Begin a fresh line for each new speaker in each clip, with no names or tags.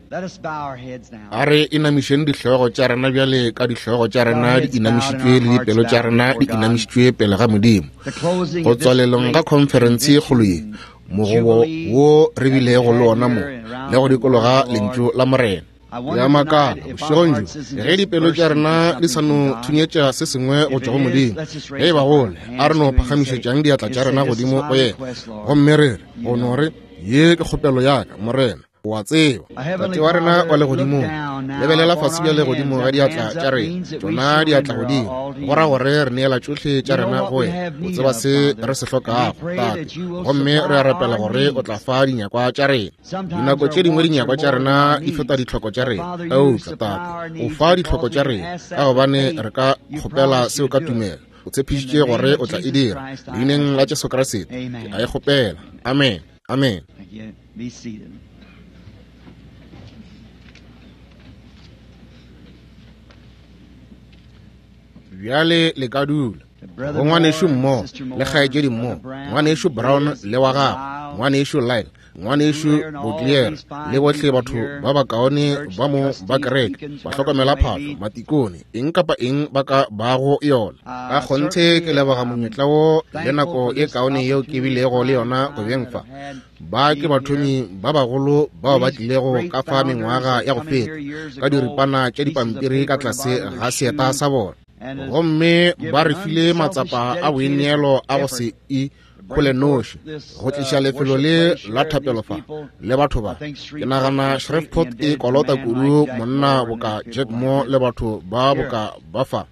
A re inamišeng dihlogo tša rena bjale ka dihlogo tša rena di inamišitšwe le dipelo tša rena di inamišitšwe pele ga Modimo. Go tswalelong ga khonferense ye kgolo ye, mogobo wo re bilego le ona mo le go dikologa Lentšu la Morena. Ya makala bošegong bjo ge dipelo tša rena di sa no thunyetša se sengwe go tšwa go Modimo. Ge e ba gole, a re no phagamišetšang diatla tša rena godimo go Yena gomme re re, go no re, Ye ke kgopelo ya ka, Morena. O a tseba, Tate wa rena wa Legodimong, lebelela fase bjale godimo ga diatla tša rena, tšona diatla godimo, go ra gore re neela tšohle tša rena go Wena. O tseba se re se hlokago, Tate, gomme re a rapela gore O tla fa dinyakwa tša rena. Dinako tše dingwe dinyakwa tša rena di feta ditlhoko tša rena, eupša, Tate, O fa ditlhoko tša rena, ka gobane re ka kgopela seo ka tumelo. O tshepišitše gore O tla e dira. Leineng la Jesu Kriste, ke a e kgopela. Amen. Amen.
Be seated.
Bjale le ka dula. Go ngwanešu Moore le kgaetšedi Moore, ngwanešu Brown le wa gagwe, ngwanešu Lyle, ngwanešu Boutlier, le bohle batho ba bakaone ba mo ba kereke, bahlokomela phahlo, matikone, eng kapa eng ba ka bago yona. Ka kgonthe ke leboga monyetla wo le nako e kaone yeo ke bilego le yona go beng fa. Ba ke bathomi ba bagolo bao ba tlilego ka fa mengwaga ya go feta ka diripana tša dipampiri ka tlase ga seeta sa bona, gomme ba re file matsapa a boineelo a go se ikgole noši go tliša lefelo le la thapelo fa le batho ba. Ke nagana Shreveport e kolota kudu monna boka Jack Moore le batho ba boka ba fa.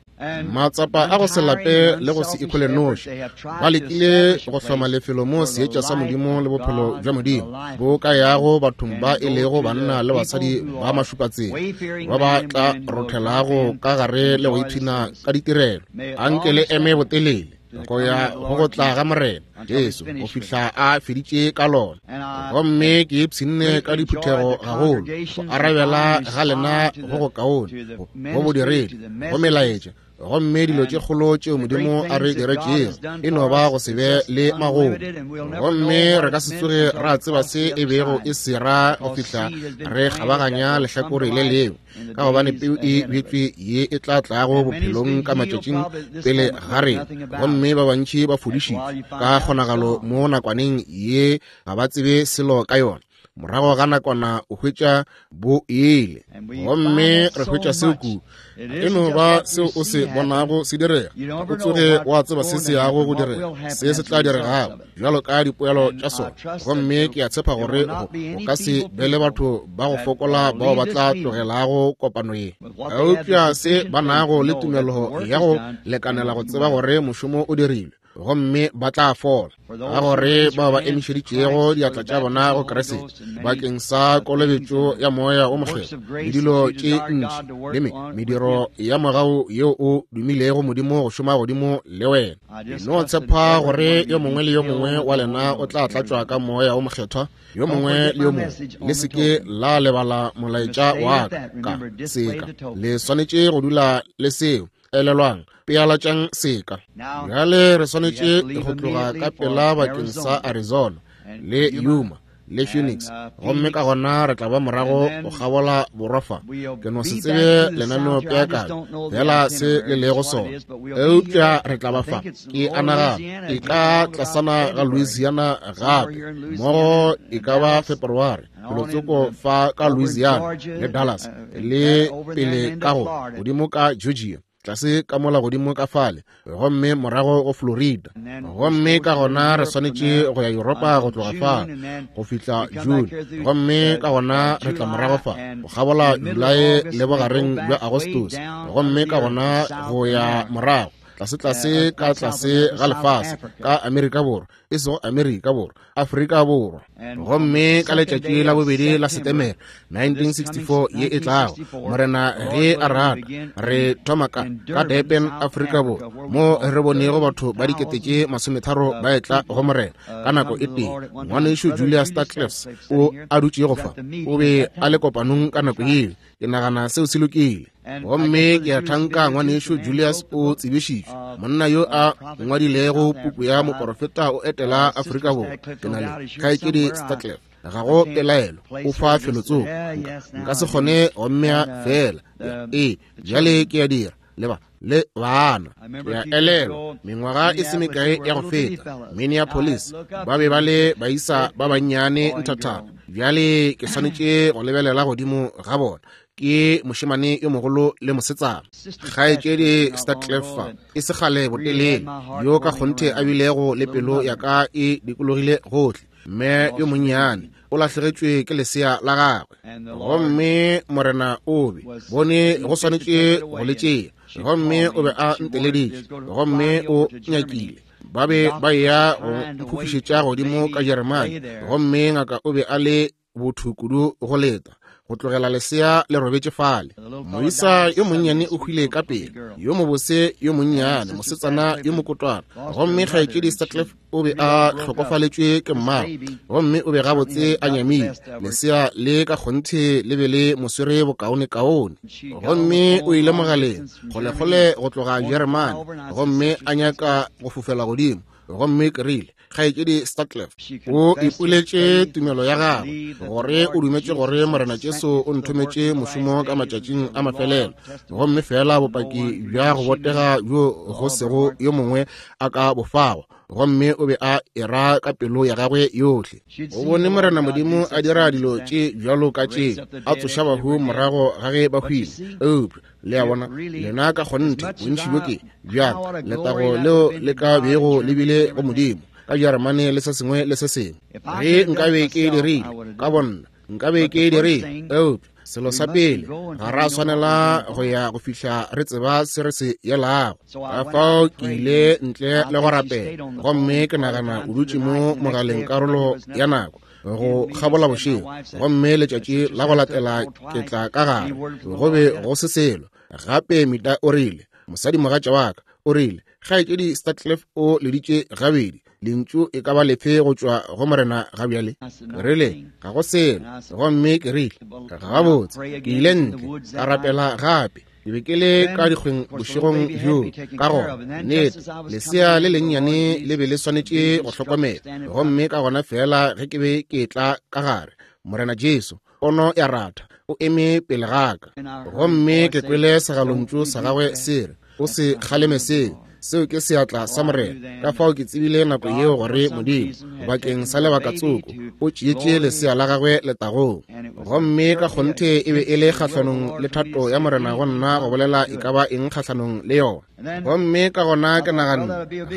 Matsapa a go se lape le go se ikhole noši ba lekile go hloma lefelo mo seetša sa Modimo le bophelo bja Modimo bo ka yago bathong ba e lego banna le basadi ba mašupatsela ba ba tla rothelago ka gare le go ipshina ka ditirelo. Anke le eme botelele go ya go go tla ga Morena Jesu go fihla a feditše ka lona. Gomme ke ipshinne ka diphuthego gagolo, go arabela ga lena go go kaone, go bodiredi, go melaetša, gomme dilo tše kgolo tšeo Modimo a re diretšego e no ba go se be le magomo. Gomme re ka se tsoge ra tseba se e bego e se ra go fihla re kgabaganya lehlakore le lengwe, ka gobane peu e bjetšwe ye e tla tlago bophelong ka matšatšing pele ga rena, gomme ba bantši ba fodišitšwe ka kgonagalo mo nakwaneng ye ga ba tsebe selo ka yona. Morago ga nakwana o hwetša bo ile, gomme re hwetša seo kudu. E no ba seo o se bonago se direga, o tsoge wa tseba se se yago go direga, se se tla diregago bjalo ka dipoelo tša sona. Gomme ke a tshepa gore go ka se be le batho ba go fokola bao ba tla tlogelago kopano ye, eupša se ba nago le tumelo ya go lekanela go tseba gore mošomo o dirilwe, gomme ba tla fola. Ka gore bao ba emišeditšego diatla tša bona go Kriste bakeng sa kolobetšo ya Moya wo Mokgethwa le dilo tše ntši le mediro ya mogau yeo o dumilego Modimo go šoma godimo le wena, ke no tshepa gore yo mongwe le yo mongwe wa lena o tla tlatšwa ka Moya wo Mokgethwa, yo mongwe le yo mongwe. Le se ke la lebala molaetša wa ka ka seka. Le swanetše go dula le seo. Elelwang, pealatšang seka. Bjale re swanetše go tloga ka pela bakeng sa Arizona le Yuma le Phoenix, gomme ka gona re tla ba morago go kgabola borwa fa. Ke no se tsebe lenaneopeakanyo fela se le lego sona, eupša re tla ba fa. Ke a nagana e ka tlasana ga Louisiana gape, mmogo e ka ba February felotsoko fa ka Louisiana le Dallas le pele ka go godimo ka Georgia, tlase ka mola godimo ka fale, gomme morago go Florida. Gomme ka gona re swanetše go ya Yuropa go tloga fa go fihla June, gomme ka gona re tla morago fa go kgabola Julae le bogareng bja Agostose, gomme ka gona go ya morago tlase-tlase ka tlase ga lefase ka Amerika Borwa, e sego Amerika Borwa, Afrika Borwa. Gomme ka letšatši la bobedi la Setemere 1964 ye e tlago, Morena ge a rata, re thoma ka Durban, Afrika Borwa, mo re bonego batho ba 30,000 ba etla go Morena ka nako e tee. Ngwanešu Julius Stadcliffe o a dutšego fa, o be a le kopanong ka nako yeo. Ke nagana seo se lokile. Gomme ke a thanka ngwanešu Julius o tsebišitšwe, monna yo a ngwadilego puku ya Moporofeta o etela Afrika Borwa. Ke na le kgaetšedi Stadcliffe. Ga go pelaelo, o fa felotsoko. Nka se kgone go mmea feela. Ee, bjale ke a dira. Le ba le bana. Ke a elelwa mengwaga e se mekae ya go feta, Minneapolis, ba be ba le baisa ba bannyane nthathana. Bjale ke swanetše go lebelela godimo ga bona. Ke mošemane yo mogolo le mosetsana. Kgaetšedi Starcleffer e se kgale botelele, yo ka kgonthe a bilego le pelo ya ka e dikologile gohle. Mme yo monnyane o lahlegetšwe ke lesea la gagwe, gomme Morena o be bone go swanetše go le tšea, gomme o be a nteleditše, gomme o nyakile ba be ba eya go mphofišetša godimo ka Jeremane, gomme ngaka o be a le botho kudu go leta go tlogela lesea le robetše fale. Moisa yo monnyane o hwile ka pele, yo mobose yo monnyane, mosetsana yo mokotwana, gomme kgaetšedi Sutcliffe o be a hlokofaletšwe ke mmagwe, gomme o be gabotse a nyamile. Lesea le ka kgonthe le be le mo swere bokaonekaone, gomme o ile mogaleng kgolekgole go tloga Jeremane, gomme a nyaka go fofela godimo. Gomme ke rile, Kgaetšedi Sutcliffe o ipoletše tumelo ya gagwe, gore o dumetše gore Morena Jesu o nthometše mošomo ka matšatšing a mafelelo, gomme feela bopaki bja go botega bjo go sego yo mongwe a ka bo fago, gomme o be a era ka pelo ya gagwe yohle. O bone Morena Modimo a dira dilo tše bjalo ka tše, a tsoša bahu morago ga ge ba hwile. Eupša le a bona, lena ka kgonthe bontši bjo ke bjang letago leo le ka bego le bile go Modimo ka Jeremane le se sengwe le se sengwe. Ge nkabe ke dirile ka bonna, nkabe ke dirile. Eupša selo sa pele, ga ra swanela go ya go fihla re tseba se re se yelago. Ka fao ke ile ntle le go rapela, gomme ke nagana o dutše mo mogaleng karolo ya nako go kgabola bošego, gomme letšatši la go latela ke tla ka gare, go be go se selo gape. Mita o rile, mosadimogatša wa ka o rile, Kgaetšedi Sutcliffe o leditše gabedi, lentšu e ka ba lefe go tšwa go Morena ga bjale? Rile, ga go selo. Gomme ke rile, gabotse, ke ile ntle ka rapela gape. Ke be ke le ka dikgweng bošegong bjo, ka gona nnete lesea le lennyane le be le swanetše go hlokomela. Gomme ka gona feela ge ke be ke tla ka gare, Morena Jesu, pono ya ratha, o eme pele ga ka, gomme ke kwele segalontšu sa gagwe se re, o se kgaleme seo, seo ke seatla sa Morena. Ka fao ke tsebile nako yeo gore Modimo bakeng sa lebaka tsoko o tšeetše lesea la gagwe letagong. Gomme ka kgonthe e be e le kgahlanong le thato ya Morena go nna go bolela e ka ba eng kgahlanong le yona. Gomme ka gona ke naganne,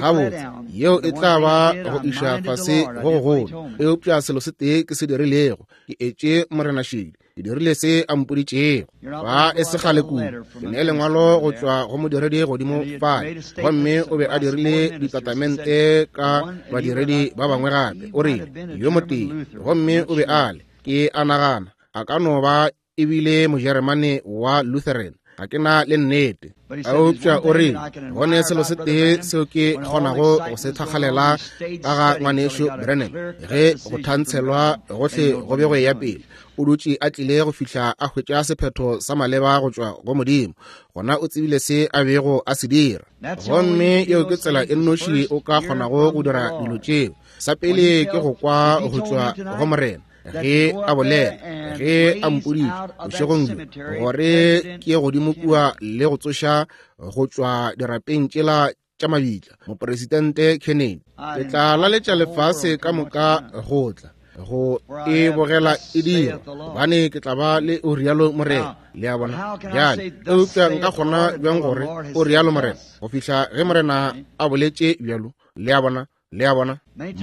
gabotse, yeo e tla ba go iša fase go gogolo. Eupša selo se tee ke se dirilego, ke etše Morena šedi. Ke dirile se a mpoditšego. Ba e se kgale kudu, ke ne lengwalo go tšwa go modiredi godimo fale, gomme o be a dirile ditatamente ka badiredi ba bangwe gape. O rile, yo motee, gomme o be a le, ke a nagana, a ka no ba ebile Mojeremane wa Lutheran, ga ke na le nnete. Eupša o rile, go ne selo se tee seo ke kgonago go se thakgalela ka ga ngwanešu Branham, ge go thantshelwa gohle go be go eya pele, o dutše a tlile go fihla a hwetša sephetho sa maleba go tšwa go Modimo, gona o tsebile se a bego a se dira. Gomme yeo ke tsela e nnoši o ka kgonago go dira dilo tšeo. Sa pele ke go kwa go tšwa go Morena ge a bolela, ge a mpoditše bošegong bjo gore ke ye godimo kua le go tsoša go tšwa dirapeng tšela tša mabitla mopresidente Kennedy. Ke tla laletša lefase ka moka go tla go e bogela e dira, gobane ke tla ba le o rialo Morena. Le a bona? Bjale, eupša nka kgona bjang gore o rialo Morena go fihla ge Morena a boletše bjalo? Le a bona? Le a bona?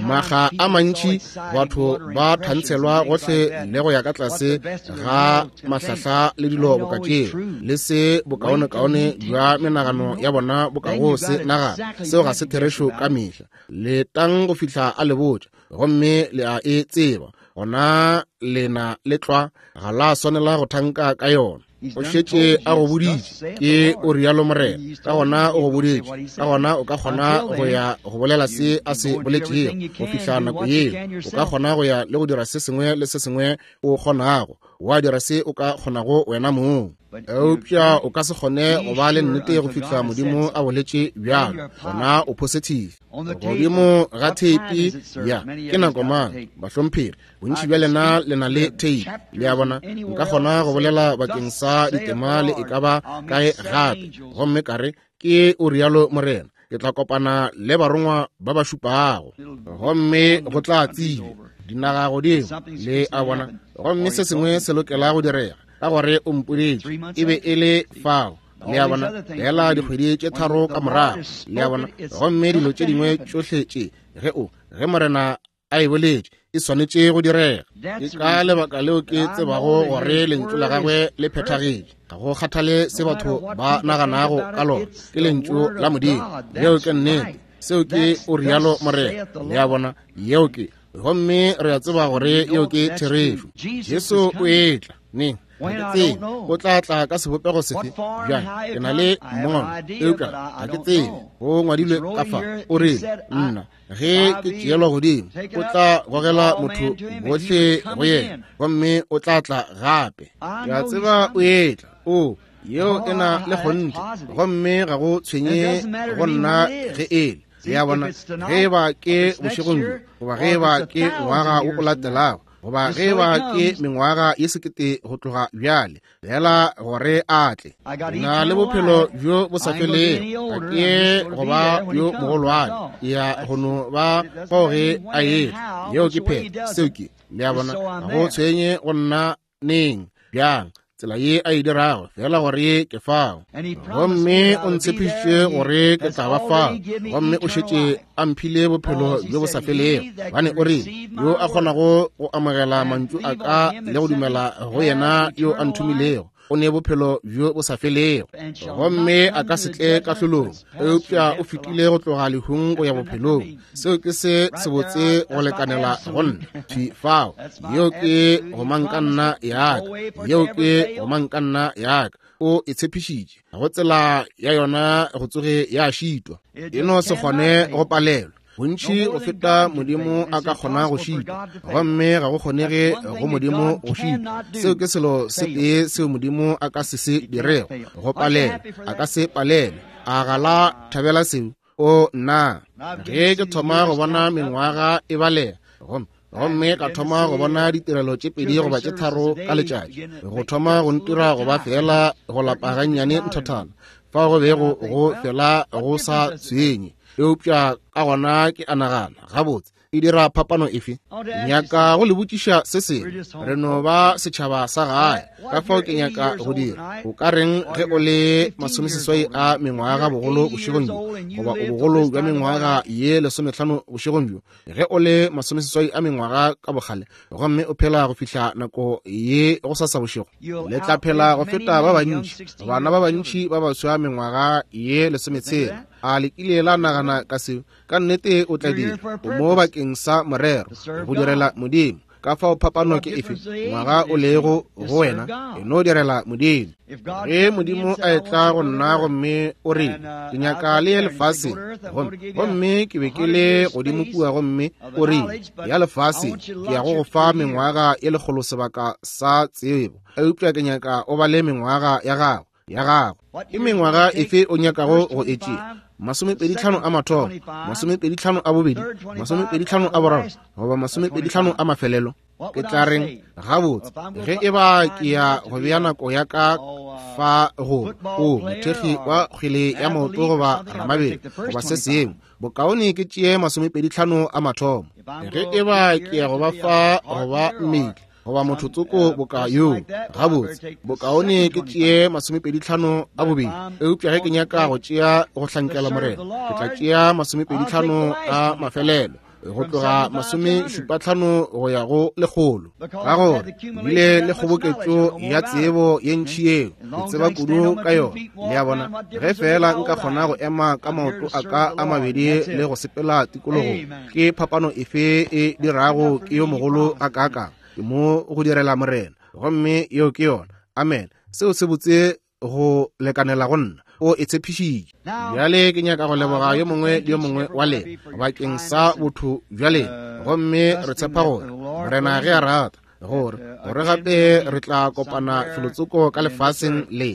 Maga a mantši batho ba thantshelwa gohle le go ya ka tlase ga mahlahla le dilo boka tšeo, le se bokaonekaone bja menagano ya bona bo ka go se nagana. Seo ga se therešo ka mehla. Letang go fihla a le botša, gomme le a e tseba, gona lena le tlwa ga la swanela go thanka ka yona. O šetše a go boditše, ke o rialo Morena, ka gona o go boditše, ka gona o ka kgona go ya go bolela se a se boletšego. Go fihla nako yeo, o ka kgona go ya le go dira se sengwe le se sengwe o kgonago. Wa dira se o ka kgonago wena mong. Eupša o ka se kgone go ba le nnete go fihla Modimo a boletše bjalo, gona o positive. Godimo ga theipi ya ke nako mang, bahlomphegi, bontši bja lena le na le theipi, le a bona. Nka kgona go bolela bakeng sa ditema le e ka ba kae gape, gomme ka re, Ke o rialo Morena, ke tla kopana le barongwa ba ba šupago, gomme go tla tsebja dinaga godimo, le a bona, gomme se sengwe se lokela go direga, ka gore o mpoditše e be e le fao, le a bona, fela dikgwedi tše tharo ka morago, le a bona, gomme dilo tše dingwe tšohle tše, ge o, ge Morena a e boletše, e swanetše go direga. Ke ka lebaka leo ke tsebago gore lentšu la gagwe le phethagetše. Ga go kgathale se batho ba naganago ka lona, ke lentšu la Modimo. Yeo ke nnete. Seo ke o rialo Morena. Le a bona, yeo ke. Gomme re a tseba gore yeo ke therešo. Jesu o etla neng? Ga ke tsebe o tla tla ka sebopego sefe. Bjale ke na le mmono, eupša ga ke tsebe. Go ngwadilwe ka fa, o rile, nna ge ke tšeelwa godimo, o tla gogela motho bohle go yena, gomme o tla tla gape. Ke a tseba o etla. O, yeo e na le kgonthe, gomme ga go tshwenye go nna ge e le. Le a bona, ge e ba ke bošegong bjo, goba ge e ba ke ngwaga wo o latelago, goba ge e ba ke mengwaga ye sekete go tloga bjale, fela gore a tle. Na le bophelo bjo bo sa felego, ga ke ye go ba yo mogolwane, ke ya go no ba fao ge a etla. Yeo ke phetho, seo ke, le a bona, ga go tshwenye go nna neng, bjang, tsela ye a e dirago, fela gore ke fao. Gomme o ntshepišitše gore ke tla ba fao, gomme o šetše a mphile bophelo bjo bo sa felego, gobane o rile, yo a kgonago go amogela mantšu a ka le go dumela go yena yo a nthomilego, o ne bophelo bjo bo sa felego, gomme a ka se tle kahlolong, eupša o fetile go tloga lehung go ya bophelong. Seo ke se sebotse go lekanela go nna. Thwi fao, yeo ke gomangkanna ya ka, yeo ke gomangkanna ya ka. O e tshepišitše, go tsela ya yona go tsoge ya šitwa, e no se kgone go palelwa. Bontši go feta Modimo a ka kgona go šitwa, gomme ga go kgonege go Modimo go šitwa. Seo ke selo se tee seo Modimo a ka se se dirego, go palelwa. A ka se palelwe. A ga la thabela seo? O, nna, ge ke thoma go bona mengwaga e balega, gomme ka thoma go bona ditirelo tše pedi goba tše tharo ka letšatši, go thoma go ntira go ba fela go lapa gannyane nthathana, fao go bego go fela go sa tshwenye. Eupša ka gona ke a nagana, gabotse, e dira phapano efe? Nyaka go le botšiša se sengwe. Re no ba setšhaba sa gae, ka fao ke nyaka go dira. O ka reng ge o le masomeseswai a mengwaga bogolo bošegong bjo, goba o bogolo bja mengwaga ye lesomehlano bošegong bjo, ge o le masomeseswai a mengwaga ka bokgale, gomme o phela go fihla nako ye go sasa bošego? Le tla phela go feta ba bantši, bana ba bantši ba baswa mengwaga ye lesometshela. A le kile la nagana ka seo? Ka nnete o tla dira. O mo bakeng sa morero, go direla Modimo. Ka fao phapano ke efe ngwaga o lego go wena, e no direla Modimo. Ge Modimo a etla go nna gomme o re, ke nyaka le ye lefaseng, gomme ke be ke le godimo kua, gomme o re, ya lefaseng, ke ya go go fa mengwaga ye lekgolo sebaka sa tsebo, eupša ke nyaka o ba le mengwaga ya gago, ya gago. Ke mengwaga efe o nyakago go e tšea? Masomepeditlhano a mathomo, masomepeditlhano a bobedi, masomepeditlhano a boraro, goba masomepeditlhano a mafelelo? Ke tla reng? Gabotse, ge e ba ke ya go bea nako ya ka fa go o mothekgi wa kgwele ya maoto goba ramabelo goba se sengwe, bokaone ke tšee masomepeditlhano a mathomo. Ge e ba ke ya go ba fa go ba mmetli goba motho tsoko boka yoo, gabotse, bokaone ke tšee masomepeditlhano a bobedi. Eupša ge ke nyaka go tšea go hlankela Morena, ke tla tšea masomepeditlhano a mafelelo, go tloga masomešupatlhano go ya go lekgolo, ka gore bile le kgoboketšo ya tsebo ye ntši yeo ke tseba kudu ka yona. Le a bona, ge feela nka kgona go ema ka maoto a ka a mabedi le go sepela tikologong, ke phapano efe e dirago ke yo mogolo a kaakang? Ke mo go direla Morena, gomme yeo ke yona. Amen. Seo se botse go lekanela go nna. O e tshepišitše. Bjale ke nyaka go leboga yo mongwe le yo mongwe wa lena bakeng sa botho bja lena, gomme re tshepa gore Morena ge a rata Gore, gore gape re tla kopana felotsoko ka lefaseng le.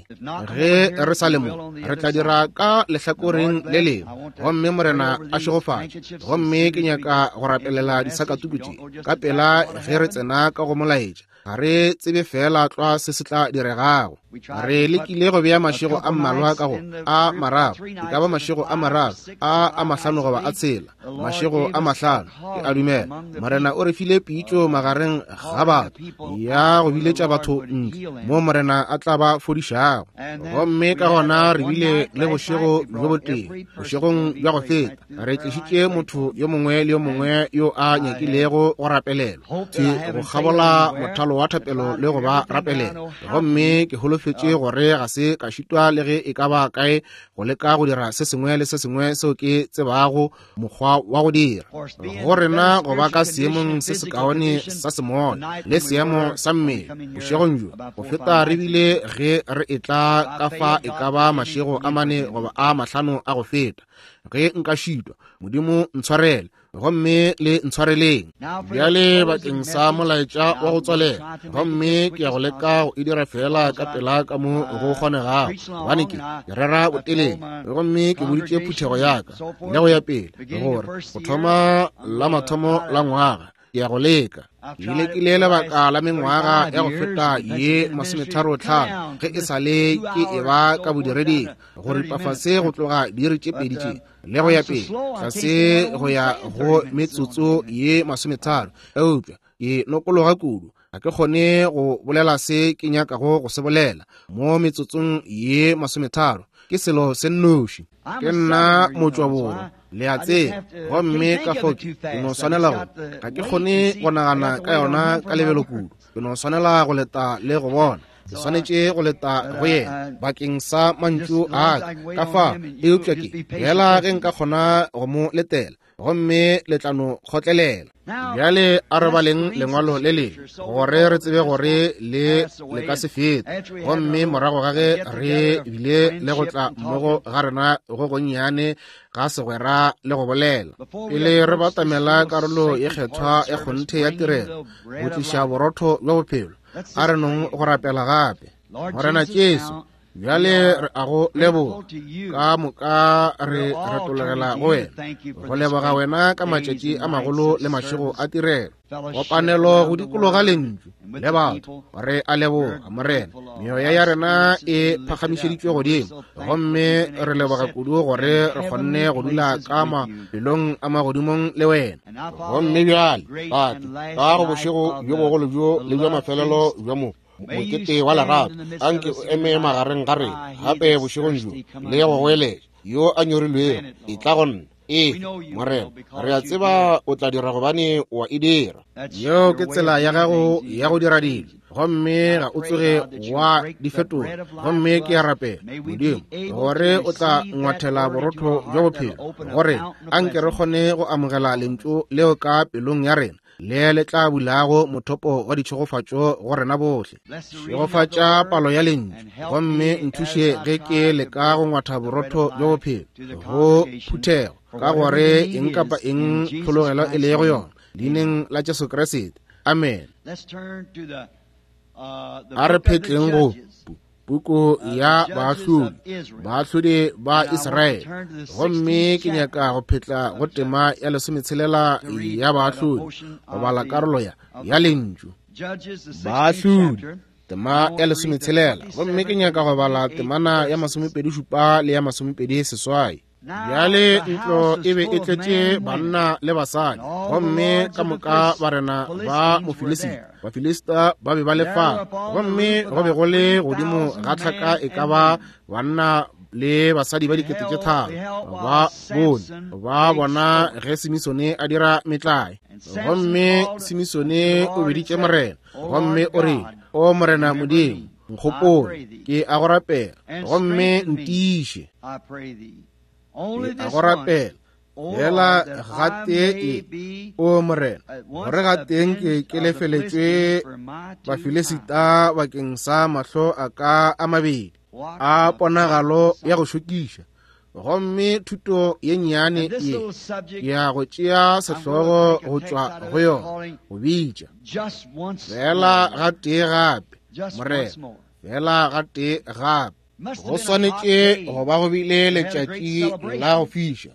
Ge re sa le mo, re tla dira ka lehlakoreng le lengwe. Gomme Morena a šegofatše. Gomme ke nyaka go rapelela disakatuku tše ka pela ge re tsena ka go molaetša. Ga re tsebe feela tlwa se se tla diregago. Re lekile go bea mašego a mmalwa ka go a mararo, e ka ba mašego a mararo, a a mahlano goba a tshela, mašego a mahlano, ke a dumela. Morena o re file pitšo magareng ga batho, ya go biletša batho ntle, mo Morena a tla ba fodišago. Gomme ka gona re bile le bošego bjo botee, bošegong bja go feta, re tlišitše motho yo mongwe le yo mongwe yo a nyakilego go rapelelwa thwi go kgabola mothalo wa thapelo le go ba rapelela. Gomme ke holofetše gore ga se ka šitwa le ge e ka ba kae go leka go dira se sengwe le se sengwe seo ke tsebago mokgwa wa go dira go rena go ba ka seemong se sekaone sa semoya le seemo sa mmele bošegong bjo go feta re bile ge re etla ka fa e ka ba mašego a mane goba a mahlano a go feta. Ge nka šitwa, Modimo ntshwarele, gomme le ntshwareleng. Bjale bakeng sa molaetša wa go tswalela, gomme ke ya go leka go e dira feela ka pela ka mo go kgonegago, gobane ke rera botelele, gomme ke boditše phuthego ya ka le go ya pele gore go thoma la mathomo la ngwaga ke ya go leka. Ke lekile lebaka la mengwaga ya go feta ye 35 ge e sa le ke e ba ka bodireding, go ripa fase go tloga diiri tše pedi tše le go ya pele tlase go ya go metsotso ye 30, eupša ke nokologa kudu, ga ke kgone go bolela se ke nyakago go se bolela mo metsotsong ye 30. Ke selo se nnoši. Ke nna motšwaborwa, le a tseba, gomme ka fao ke no swanela go, ga ke kgone go nagana ka yona ka lebelo kudu. Ke no swanela go leta le go bona. Ke swanetše go leta go yena bakeng sa mantšu a ka ka fa, eupša ke fela ge nka kgona go mo letela, gomme le tla no kgotlelela. Bjale a re baleng lengwalo le lengwe gore re tsebe gore le le ka se fete. Gomme morago ga ge re bile le go tla mmogo ga rena go gonnyane ga segwera le go bolela, pele re batamela karolo ye kgethwa ya kgonthe ya tirelo, go tliša borotho bja bophelo, a re nong go rapela gape. Morena Jesu, bjale re a go leboga ka moka, re retologela go wena go leboga wena ka matšatši a magolo le mašego a tirelo, kopanelo go dikologa lentšu le batho. Re a leboga Morena, meoya ya rena e phagamišeditšwe godimo, gomme re leboga kudu gore re kgonne go dula ka mafelong a magodimong le wena. Gomme bjale Tate, ka go bošego bjo bogolo bjo le bja mafelelo bja mo mokete wa lerato, anke o eme magareng ga rena gape bošegong bjo le go goeletša, yo a nyorilwego, etla go nna. Ee, Morena, re a tseba o tla dira gobane o a e dira. Yeo ke tsela ya gago ya go dira dilo, gomme ga o tsoge wa di fetola. Gomme ke a rapela, Modimo, gore o tla ngwathela borotho bja bophelo gore anke re kgone go amogela lentšu leo ka pelong ya rena, le le tla bulago mothopo wa ditšhegofatšo go rena bohle. Šegofatša palo ya lentšu, gomme nthuše ge ke leka go ngwatha borotho bja bophelo go phuthego, ka gore eng kapa eng tlhologelo e lego yona, leineng la Jesu Kriste. Amen. A re phetleng go puku ya Baahlodi, Baahlodi ba Israele. Gomme ke nyaka go phetla go tema ya 16 ya Baahlodi, go bala karolo ya lentšu. Baahlodi, tema ya 16, gomme ke nyaka go bala temana ya 27 le ya 28. Bjale ntlo e be e tletše banna le basadi, gomme ka moka barena ba Mofilisita, Bafilista ba be ba le fao, gomme go be go le godimo ga tlhaka e ka ba banna le basadi ba 3000. Ba bone ba bona ge Simisone a dira metlae, gomme Simisone o biditše Morena, gomme o rile, O Morena Modimo, nkgopole, ke a go rapela, gomme ntiiše. Ke a go rapela fela gatee e, o Morena, gore gateng ke ke lefeletšwe Bafilisita bakeng sa mahlo a ka a mabedi a ponagalo ya go šokiša. Gomme thuto ye nnyane ye ya go tšea sehlogo go tšwa go yona, go bitša feela gatee gape, Morena, feela gatee gape. Go swanetše go ba go bile letšatši la go fiša,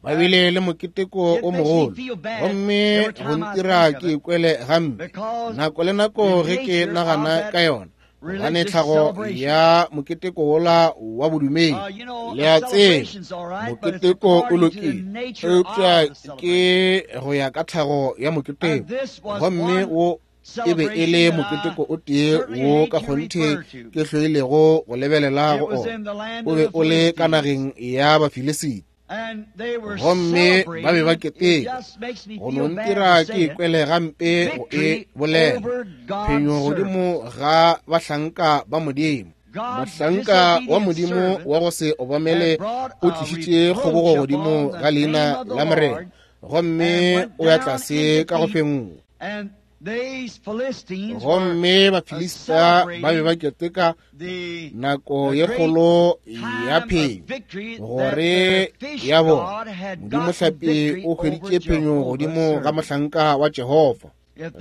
ba bile le moketeko o mogolo, gomme go ntira ke ikwele gampe nako le nako ge ke nagana ka yona, gobane tlhago ya moketeko wola wa bodumedi, le a tseba, moketeko o lokile, eupša ke go ya ka tlhago ya moketeko, gomme wo e be e le moketeko o tee wo ka kgonthe ke hloilego go lebelela go ona. O be o le ka nageng ya Bafilisiti, gomme ba be ba keteka. Go no ntira ke ikwele gampe go e bolela, phenyo godimo ga bahlanka ba Modimo. Mohlanka wa Modimo wa go se obamele o tlišitše kgobogo godimo ga leina la Morena, gomme o ya tlase ka go fenngwa. Gomme Bafilista ba be ba keteka nako ye kgolo ya phenyo, gore ya bona Modimo hlapi o hweditše phenyo godimo ga mohlanka wa Jehofa.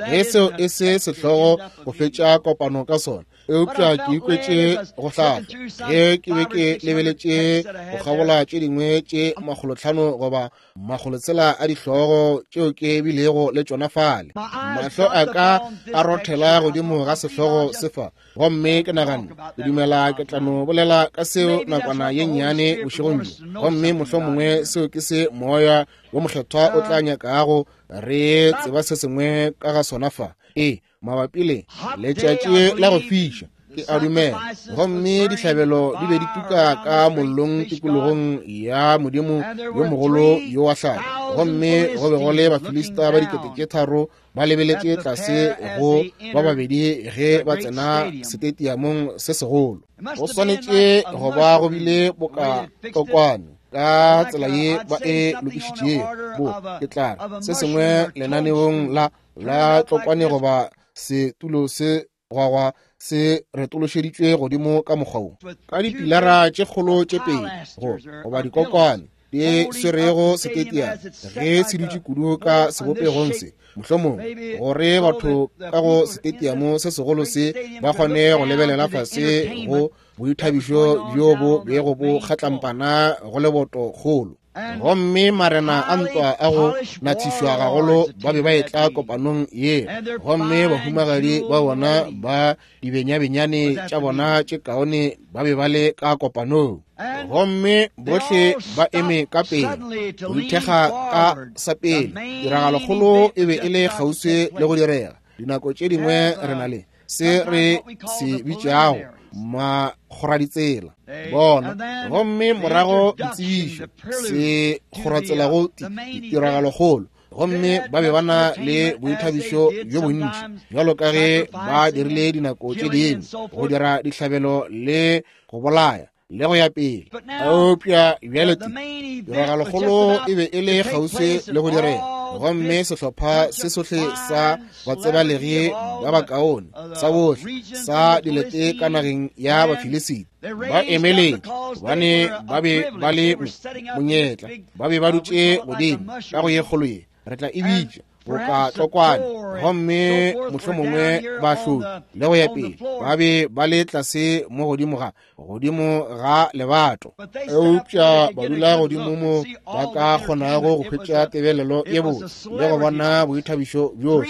Ge seo e se sehlogo go fetša kopano ka sona, eupša ke ikwetše go hlahlwa ge ke be ke lebeletše go kgabola tše dingwe tše 500 goba 600 a dihlogo tšeo ke bilego le tšona fale. Mahlo a ka a rothela godimo ga sehlogo se fa, gomme ke naganne, ke dumela ke tla no bolela ka seo nakwana ye nnyane bošegong bjo, gomme mohlomongwe seo ke se Moya wo Mokgethwa o tla nyakago re tseba se sengwe ka ga sona fa. Ee, mabapi le letšatši la go fiša, ke a dumela, gomme dihlabelo di be di tuka ka mollong tikologong ya Modimo yo mogolo yo wa hlabo, gomme go be go le Bafilista ba 3000 ba lebeletše tlase go ba babedi ge ba tsena setetiamong se segolo. Go swanetše go ba go bile boka tlokwane ka tsela ye ba e lokišitšego, bo ke tla re se sengwe lenaneong la tlokwane goba setulo se gwagwa se retološeditšwe godimo ka mokgwa wo, ka dipilara tše kgolo tše pedi goba dikokwane di swerego setetiana ge se dutše kudu ka sebopegong se, mohlomongwe gore batho ka go setetiamo se segolo se ba kgone go lebelela fase go boithabišo bjo bo bego bo kgatlampana go leboto kgolo. Gomme marena a ntwa a go nathišwa gagolo ba be ba etla kopanong ye, gomme bahumagadi ba bona ba dibenyabenyane tša bona tše kaone ba be ba le ka kopanong, gomme bohle ba eme ka pele go ithekga ka sa pele. Tiragalokgolo e be e le kgauswi le go direga. Dinako tše dingwe re na le se re se bitšago makgoraditsela bona, gomme morago ditsebišo se kgoratsela go tiragalokgolo, gomme ba be ba na le boithabišo bjo bontši bjalo ka ge ba dirile dinako tše dingwe, go dira dihlabelo le go bolaya le go ya pele. Eupša bjale tiragalokgolo e be e le kgauswi le go direga, gomme sehlopha se sohle sa batsebalegi ba bakaone sa bohle sa dilete ka nageng ya Bafilisiti ba emeletše, gobane ba be ba le monyetla, ba be ba dutše godimo ka go ye kgolo ye re tla e bitša boka tlokwane, gomme mohlomongwe ba hlodi le go ya pele, ba be ba le tlase mo godimo ga lebato, eupša ba dula godimo mo ba ka kgonago go hwetša tebelelo ye botse le go bona boithabišo bjohle.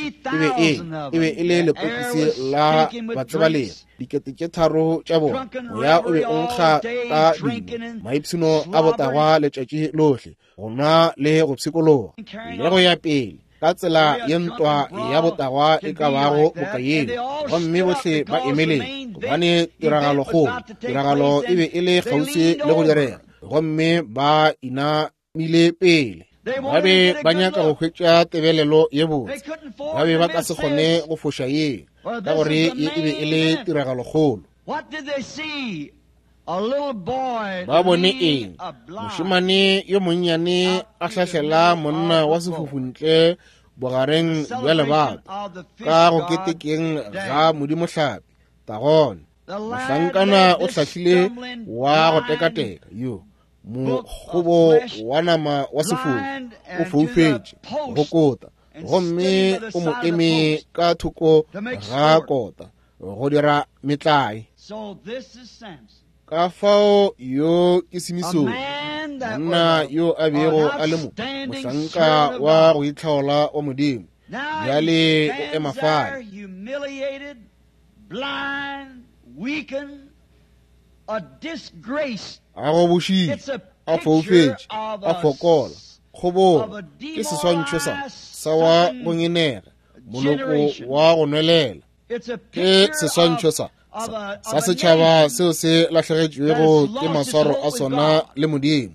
E be e le lepokisi la batsebalegi, 3000 tša bona, moya o be o nkga ka dino, maipshino a botagwa letšatši lohle, go nwa le go pshikologa le go ya pele ka tsela ye ntwa ya botagwa e ka bago boka yeo. Gomme bohle ba emeleng, gobane tiragalo e be e le kgauswi le go direga, gomme ba inamile pele. Ba be ba nyaka go hwetša tebelelo ye botse, ba be ba ka se kgone go foša ye, ka gore ye e be e le tiragalokgolo. Ba bone eng? Mošemane yo monnyane a hlahlela monna wa sefofu ntle bogareng bja lebato ka go ketekeng ga Modimo hlapi Tagone. Mohlankana o hlahlile wa go tekateka yo. Mokgobo wa nama wa sefofu o foufetše go kota, gomme o mo eme ka thoko ga kota go dira metlae. Ka fao yo ke Simisone, monna yo a bego a le mohlanka wa go itlhaola wa Modimo, bjale o ema fale. A gobošitše, a foufetše, a fokola, kgobogo, ke seswantšho sa wa go ngenega, moloko wa go nwelela. Ke seswantšho sa setšhaba seo se lahlegetšwego ke maswaro a sona le Modimo.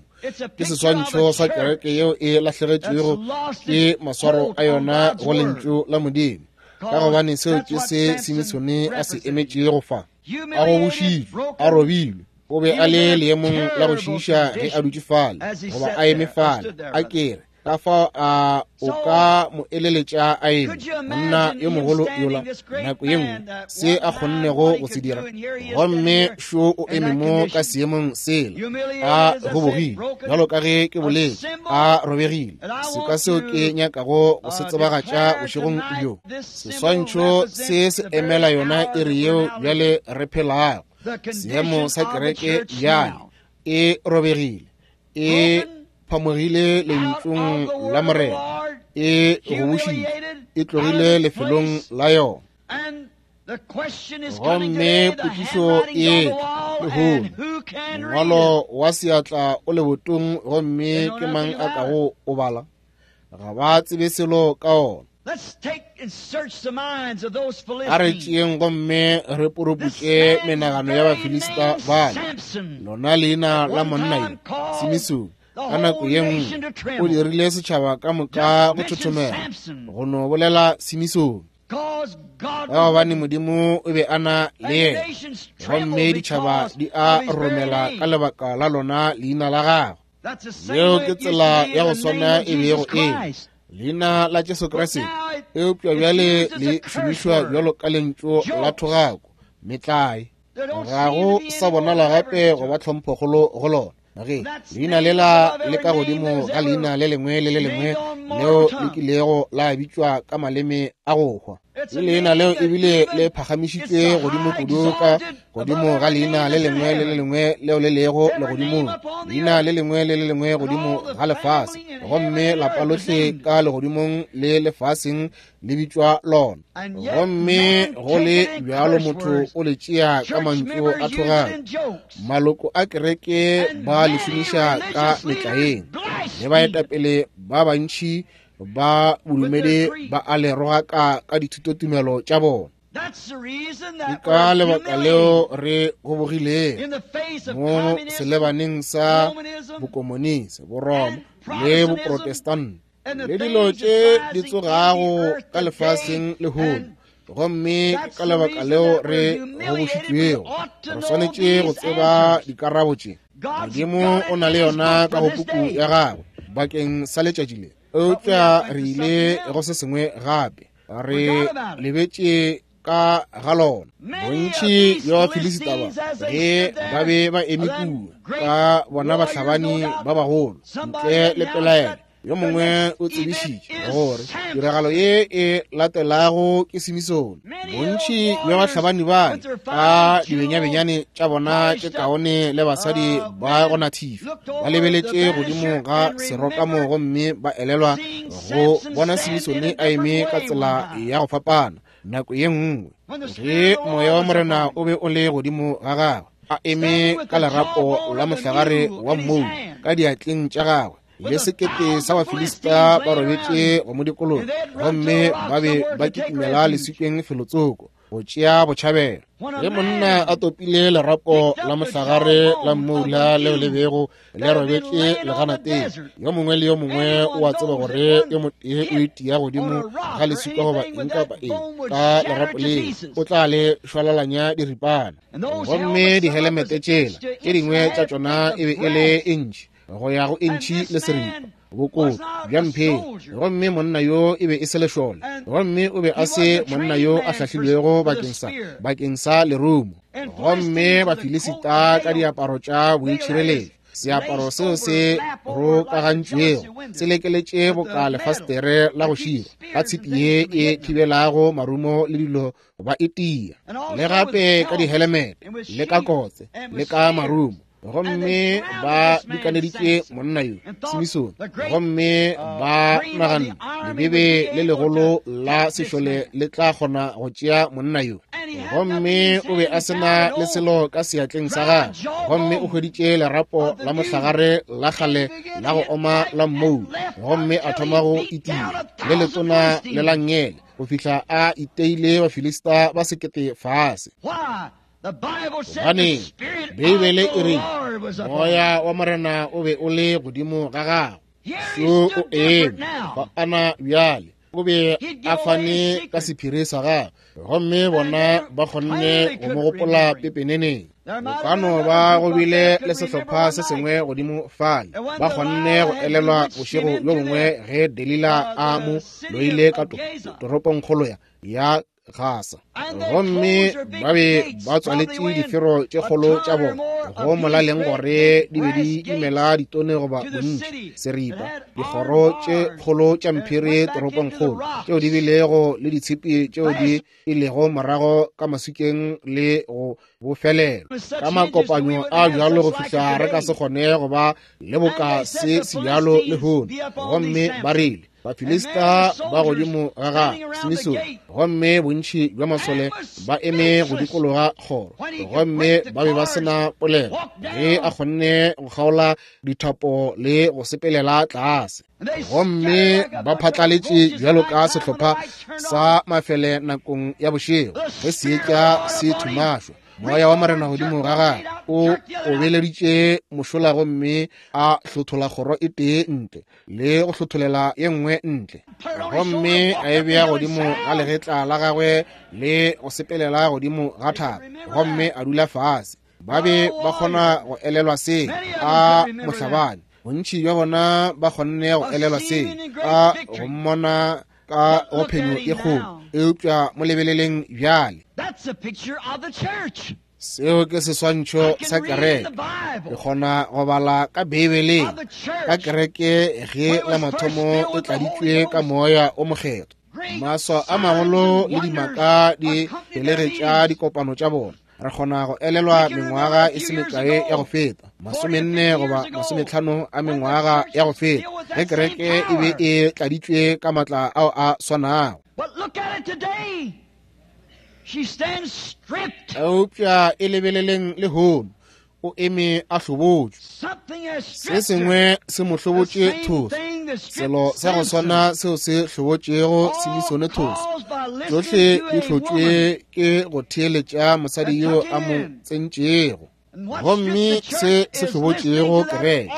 Ke seswantšho sa kereke yeo e lahlegetšwego ke maswaro a yona go lentšu la Modimo, ka gobane seo ke se Simisone a se emetšego fa. A gobošitšwe, a robilwe, o be a le leemong la go šiiša ge a dutše fale, goba a eme fale, a kere ka fao a o ka mo eleletša a eme, monna yo mogolo yola, nako ye nngwe se a kgonnego go se dira, gomme šo o eme mo ka seemong sela, a gobogile, bjalo ka ge ke boletše, a robegile. Seka seo ke nyakago go se tsebagatša bošegong bjo, seswantšho se se emela yona iri yeo bjale re phelago. Seemo sa kereke bjale e robegile, e phamogile lentšung la Morena, e gobošitše, e tlogile lefelong la yona. Gomme potšišo e lehono, mongwalo wa seatla o lebotong, gomme ke mang a kago o bala? Ga ba tsebe selo ka ona. A re tšeeng gomme re poroputše menagano ya Bafilista bale. Lona leina la monna yo, Simisone, ka nako ye nngwe o dirile setšhaba ka moka go thothomela go no bolela Simisone, ka gobane Modimo o be a na le yena, gomme ditšhaba di a romela ka lebaka la lona leina la gagwe. Yeo ke tsela ya go swana e bego e leina la Jesu Kriste, eupša bjale le šomišwa bjalo ka lentšu la thogako, metlae. Ga go sa bonala gape go ba tlhomphokgolo go lona. Ge leina lela le ka godimo ga leina le lengwe le le lengwe leo le kilego la bitšwa ka maleme a go hwa, le leina leo ebile le phagamišitšwe godimo kudu ka godimo ga leina le lengwe le le lengwe leo le lego legodimong, leina le lengwe le le lengwe godimo ga lefase, gomme lapa lohle ka legodimong le lefaseng le bitšwa lona. Gomme go le bjalo motho o le tšea ka mantšu a thogako. Maloko a kereke ba le šomiša ka metlaeng, le baetapele ba bantši ba bodumedi ba a le rogaka ka dithutotumelo tša bona. Ke ka lebaka leo re gobogilego mo selebaneng sa bokomonisi, Boroma le Boprotestante, le dilo tše di tsogago ka lefaseng lehono. Gomme ka lebaka leo re gobošitšwego, re swanetše go tseba dikarabo tše. Modimo o na le yona ka go puku ya gagwe bakeng sa letšatši le, eupša re ile go se sengwe gape, re lebetše ka ga lona. Bontši bja Bafilisita ba ge ba be ba eme kua ka bona bahlabani ba bagolo, ntle le pelaelo yo mongwe o tsebišitše gore tiragalo ye e latelago ke Simisone. Bontši bja bahlabani bale ka dibenyabenyane tša bona tše kaone le basadi ba go nathifa ba lebeletše godimo ga serokamo gomme ba elelwa go bona Simisone a eme ka tsela ya go fapana nako ye nngwe ge moya wa Morena o be o le godimo ga gagwe, a eme ka lerapo la mohlagare wa mmou ka diatleng tša gagwe, le sekete sa Bafilista ba robetše go mo dikologa, gomme ba be ba kitimela leswikeng felotsoko go tšea botšhabelo. Ge monna a topile lerapo la mohlagare la mmoula leo le bego le robetše leganateng, yo mongwe le yo mongwe o a tseba gore yo motee o itia godimo ga leswika goba eng kapa eng ka lerapo leo, o tla le šwalalanya diripana. Gomme dihelemete tšela tše dingwe tša tšona e be e le intšhi go ya go intšhi le seripa bokotlo bja mpheng. Gomme monna yo e be e se lešole, gomme o be a se monna yo a hlahlilwego bakeng sa lerumo. Gomme Bafilisita ka diaparo tša boitšhireletšo Seaparo seo se rokagantšwego se lekeletše boka lefastere la go šira ka tshipi ye e thibelago marumo le dilo ba e tia, le gape ka dihelemete le ka kotse le ka marumo. Gomme ba dikaneditše monna yo Simisone, gomme ba naganne lebebe le legolo la sešole le tla kgona go tšea monna yo. Gomme o be a se na le selo ka seatleng sa gagwe, gomme o hweditše lerapo la mohlagare la kgale la go oma la mmou, gomme a thoma go itia le letona le la nngele go fihla a iteile Bafilista ba 1000 fase. Gobaneng, Beibele e re moya wa Morena o be o le godimo ga gagwe. So o eme fa ana bjale, o be a fane ka sephiri sa gagwe, gomme bona ba kgonne go mo gopola pepeneneng. Go ka no ba go bile le sehlopha se sengwe godimo fale, ba kgonne go elelwa bošego bjo bongwe ge Delila a mo loile ka toropongkgolo ya Gasa, gomme ba be ba tswaletše difero tše kgolo tša bona go molaleng gore di be di imela ditone goba bontši seripa, dikgoro tše kgolo tša mphiri toropongkgolo tšeo di bilego le ditshipi tšeo di ilego morago ka maswikeng le go bofelelo ka makopanyo a bjalo go fihla re ka se kgone go ba le boka se se bjalo lehono. Gomme ba rile Bafilista ba godimo ga ga Simisone, gomme bontši bja masole ba eme go dikologa kgoro, gomme ba be ba se na polelo ge a kgonne go kgaola dithapo le go sepelela tlase, gomme ba phatlaletše bjalo ka sehlopha sa mafele nakong ya bošego ge seetša se thumašwa. Moya wa Morena godimo ga gagwe o obeleditše mošola, gomme a hlothola kgoro e tee ntle le go hlotholela ye nngwe ntle, gomme a e bea godimo ga legetla la gagwe le go sepelela godimo ga thaba, gomme a dula fase. Ba be ba kgona go elelwa se a mohlabani, bontši bja bona ba kgonne go elelwa se a go mmona ka go phenyo e kgolo, eupša mo lebeleleng bjale. Seo ke seswantšho sa kereke. Ke kgona go bala ka Beibeleng ka kereke ge la mathomo e tladitšwe ka moya o mokgethwa. Maswa a magolo le dimaka di felegetša dikopano tša bona. Re kgona go elelwa mengwaga e se mekae ya go feta, 40 goba 50 a mengwaga ya go feta, ge kereke e be e tladitšwe ka matla ao a swanago. Eupša e lebeleleng lehono, o eme a hlobotšwe. Se sengwe se mo hlobotše thoso, selo sa go swana seo se hlobotšego Simisone thoso. Tšohle di hlotšwe ke go theeletša mosadi yo a mo tsentšego. Gomme se se hlobotšego kereke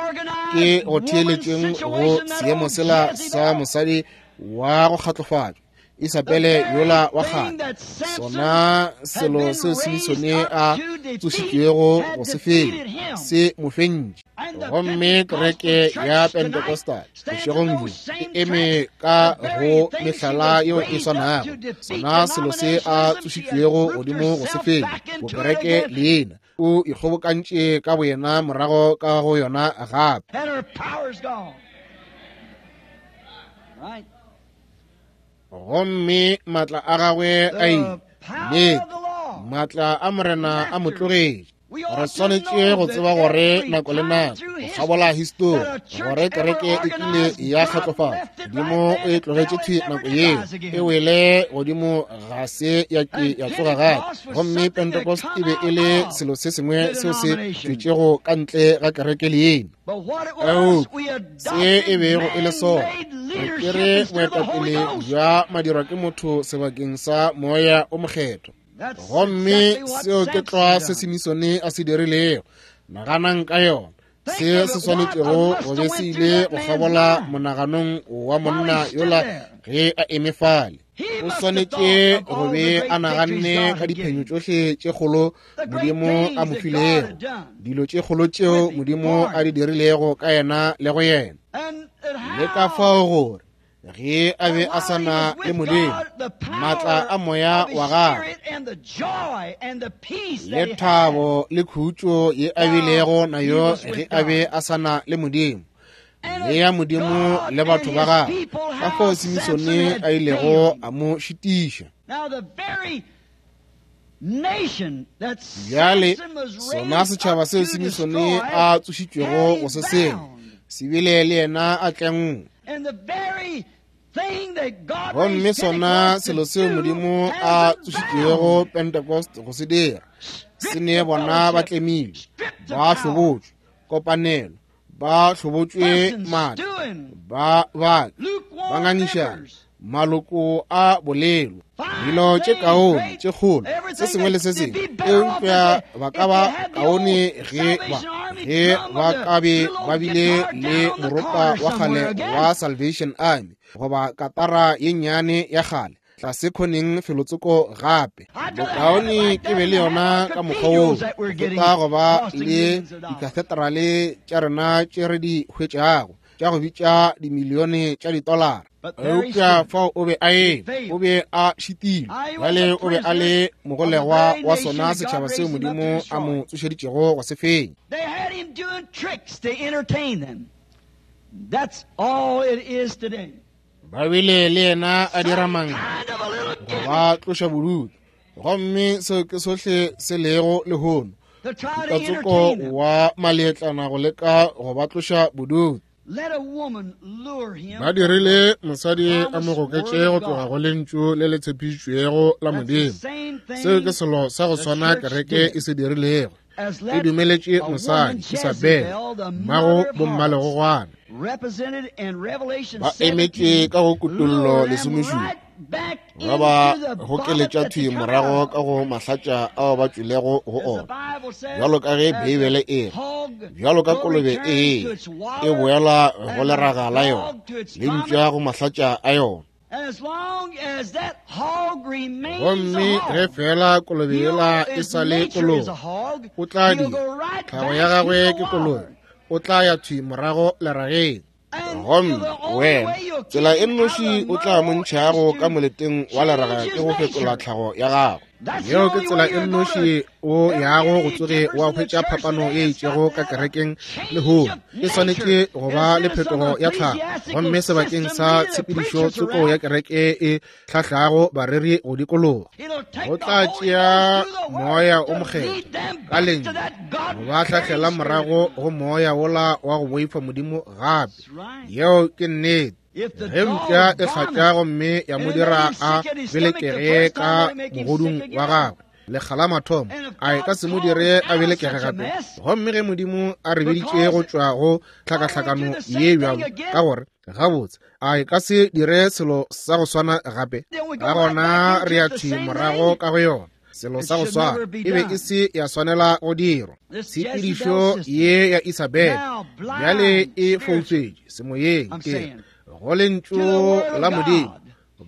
ke go theeletšeng go seemo sela sa mosadi wa go kgatlofatšwa, Isabele yola wa kgale, sona selo seo Simisone a tsošitšwego go se fenya se mo fentše. Gomme kereke ya Pentecostal bošegong bjo e eme ka go mehlala yeo e swanago, sona selo se a tsošitšwego godimo go se fenya bokereke leina, o ikgobokantše ka boyena morago ka go yona gape. Gomme matla a gagwe a ile, nnete, matla a Morena a mo tlogetše. Re swanetše go tseba gore nako le nako go kgabola histori gore kereke e kile ya kgatlofatšwa, Modimo o e tlogetše thwi nako yeo e wele godimo, ga se ya ke ya tsoga gape. Gomme Pentecost e be e le selo se sengwe seo se tšwetšego ka ntle ga kereke leina. Eupša se e bego e le sona, re tšere boetapele bja madirwa ke motho sebakeng sa moya o mokgethwa. Gomme seo ke tlwa se Simisone a se dirilego. Naganang ka yona, se se swanetšego go be se ile go kgabola monaganong wa monna yola ge a eme fale. O swanetše go be a naganne ka diphenyo tšohle tše kgolo Modimo a mo filego, dilo tše kgolo tšeo Modimo a di dirilego ka yena le go yena, le ka fao gore Ge a be a sa na le Modimo, maatla a moya wa gagwe le thabo le khutšo ye a bilego nayo ge a be a sa na le Modimo, le ya Modimo le batho ba gagwe, ka fao Simisone a ilego a mo šitiša. Bjale sona setšhaba seo Simisone a tsošitšwego go se sengwe se bile le yena a tlengwe. Gomme sona selo seo Modimo a tsošitšwego Pentecost go se dira, se ne bona ba tlemilwe, ba hlobotšwe, kopanelo, ba hlobotšwe maatla, ba ba ba ngangišana, maloko a bolelo, dilo tše kaone tše kgolo, se sengwe le se sengwe, eupša ba ka ba kaone ge ba ge ba ka be ba bile le moropa wa kgale wa Salvation Army goba katara ye nnyane ya kgale tlase khoneng felotsoko gape. Bokaone ke be le yona ka mokgwa woo go feta go ba le dikatheterale tša rena tše re di hwetšago tša go bitša dimilione tša ditolara. Eupša fao o be a eme, o be a šitilwe. Bjale o be a le mogolegwa wa sona setšhaba seo Modimo a mo tsošeditšego go se fenya.
They had him doing tricks to entertain them. That's all it is today.
Ba bile le yena a dira
Some
manga
kind of a little
go
gimmick
ba tloša bodutu. Gomme seo ke sohle se lego lehono,
to try to
katsoko
entertain them.
wa maletlana go leka go ba tloša bodutu.
Let a woman lure him
Ba
from the
dirile mosadi a mo
promised word
goketše
of
go tloga
God.
go lentšu le le tshepišitšwego la
That's the
Modimo.
same
Seo ke
thing
selo sa go
the
swana
church
kereke
did.
e se dirilego.
As
E
let
dumeletše
a woman
mosadi Isabel,
Jezebel, the
mmago
mother of harlots,
bommalegogwana,
represented in Revelation
ba emetše
17,
ka go kutollo
lure them
lesomešupa,
right back
ba ba
into the vomit
gokeletša
that they
thwi
come out
morago
of.
ka go mahlatša ao ba tšwilego go
As the
ona.
Bible says,
Bjalo ka ge
as the
Beibele e re,
hog
bjalo ka
will
kolobe
return
e
to its
e
water,
boela go
and the
leraga la yona,
dog to its
le
vomit,
mpša go mahlatša a yona.
and as long as that hog remains a
Gomme ge
hog,
fela kolobe
he'll,
yela e
his
sa le
nature is a
kolobe,
hog,
o tla
he'll
dira
go right
tlhago ya
back to
gagwe
the
ke kolobe,
water.
o tla ya thwi morago lerageng.
And
Gomme
the only
wena,
way you'll
tsela
keep
e
him out of
nnoši
the
o tla
mud
mo
hole is
ntšhago ka
to
moleteng wa leraga
change
ke
his
go fetola
nature.
tlhago ya gagwe.
That's the
Yeo ke
only
tsela
way
e
you're going
nnoši
to
o
ever
yago
get
go
any
tsoge
difference
wa
in the
hwetša
church
phapano
today.
ye
It's got
itšego
to
ka
have a
kerekeng
change
lehono.
of
E
nature.
swanetše go ba
Instead
le
of some
phetogo ya tlhago.
ecclesiastical
Gomme sebakeng
system
sa
leading the
tshepedišo
preachers
tsoko ya
around,
kereke e hlahlago bareri go dikologa,
it'll take
go
the
tla
Holy
tšea
Ghost through the Word
moya o
to
mokgethwa
lead them
ka
back to
lentšu
that
go ba
God-fearing
hlahlela
spirit
morago
again.
go moya wola wa go boifa Modimo gape.
That's right.
Yeo ke nnete.
If the
Ge mpša
dog
e hlatša
vomits
gomme ya
and
mo
it made
dira
him
a
sick at his stomach the
belekege
first
ka
time, will it make him sick
mogodung wa
again?
gagwe lekga la mathomo,
And if
a e ka
God
se mo
called
dire a
out of
belekege
such a
gape?
mess,
Gomme ge Modimo a re biditše go
because
tšwa go
I want to do
tlhakahlakano
the
ye
same thing
bjalo,
again,
ka gore gabotse a e ka se dire selo sa go swana gape?
then we
Ka
go right
gona
back
re
into
ya
it the
thwi
same
morago
thing.
ka go yona. Selo
It
sa go
should
swana
never be
e be e
done.
se ya swanela go dirwa.
This
Tshepedišo
Jezebel system,
ye ya Isabel
now
bjale
blind
e
spiritually,
foufetše semoyeng,
I'm
ke re
saying,
go lentšu
to the Word
la
of
Modimo,
God,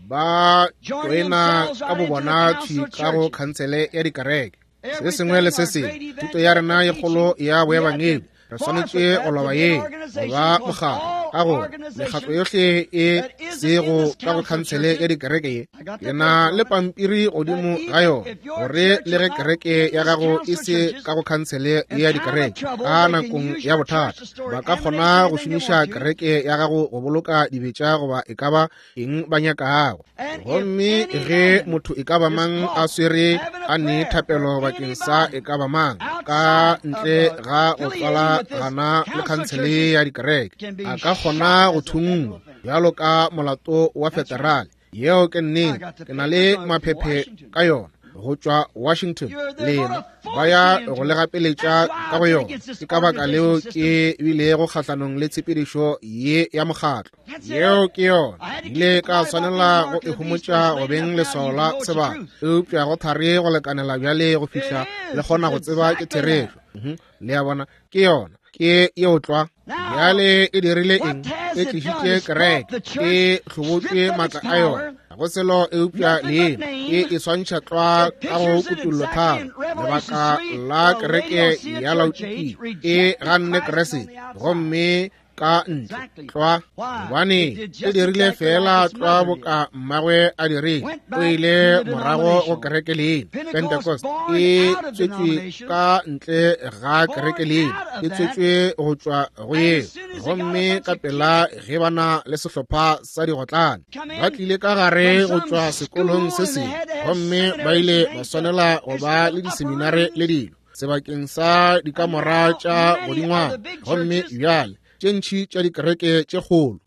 ba
joining
tloena
themselves
ka
right into the
bobona
council
thwi
of
ka go
churches.
khansele ya dikereke. Se sengwe
Everything
le se
our
sengwe,
great
thuto ya rena
evangelical
ye kgolo
teaching,
ya
we had to
boebangedi, re swanetše
forfeit
go
that to
loba
be
ye
an
go
organization
ba
because
mokgatlo,
all
ka gore mekgatlo
organization
yohle e
that isn't in
sego
this
ka go
council of
khansele ya
churches,
dikereke ye,
I got
ke
the
na
paper
le
on it,
pampiri
that
godimo ga
even
yona,
if your
gore
church
le
is
ge
not
kereke
in
ya
this
gago e
council of
se
churches,
ka go khansele
in
ye ya
time of
dikereke,
trouble,
ka
they can
nakong
use
ya
your church
bothata
to store
ba ka
ammunition,
kgona go
anything they
šomiša
want to.
kereke ya gago go boloka dibetša goba e ka ba eng ba nyakago.
And if
Gomme
any
ge
man
motho e ka ba
is
mang a
caught
swere
having
a
a
ne
prayer for
thapelo bakeng sa
anybody
e ka ba mang ka
outside of
ntle
the
ga go
affiliating
tswala
with this
gana le
council of
khansele
churches,
ya dikereke,
can be
a ka
shot
kgona go
as a federal
thungwa
offense.
bjalo ka molato wa
That's right.
federale. Yeo ke
I
nnete.
got the
Ke na
papers
le
on it from
maphephe
Washington.
ka yona go tšwa Washington.
You're, they're going
Lena
to
ba
force
ya
you
go
into
le
it.
gapeletša
That's why
ka
I
go
think
yona.
it's this
Ke ka baka leo
organization system.
ke bilego kgahlanong le tshepedišo ye ya mokgatlo.
That's
Yeo
it.
ke yona.
I had to keep
Ile
it
ka
quiet about being
swanela
the
go
mark
e
of the beast, but
homotša
it's
go
late
beng
enough now you
leswao
can
la
know it's the
sebaka,
truth.
eupša go thari go lekanela bjale go
It
fihla le
is.
kgona
It's
go tseba ke
exactly that.
therešo. Le a bona, ke yona, ke yeo tlwa.
Now,
Bjale e dirile
what
eng?
has
E
it done?
tlišitše
It's brought
kereke,
the church,
e hlobotšwe
stripped of its
maatla a yona.
power,
Ga go selo eupša
nothing but
leina, e
name.
e swantšha tlwa
It
ka go
pictures it
kutollo
exactly
tharo.
in Revelation
Lebaka
3,
la
the
kereke
Laodicea
ya
church age
Laodikia e
rejected
ganne
Christ on
Kriste,
the outside.
gomme ka ntle tlwa, gobane e dirile feela tlwa boka mmagwe a dirile. O ile morago go kereke leina. Pentecost e tswetšwe ka ntle ga kereke leina, e tswetšwe go tšwa go yeo. Gomme ka pela ge ba na le sehlopha sa digotlane ba tlile ka gare go tšwa sekolong se sengwe, gomme ba ile ba swanela go ba le diseminare le dilo sebakeng sa dikamora tša godingwana. Gomme bjale tše ntši tša dikereke tše kgolo,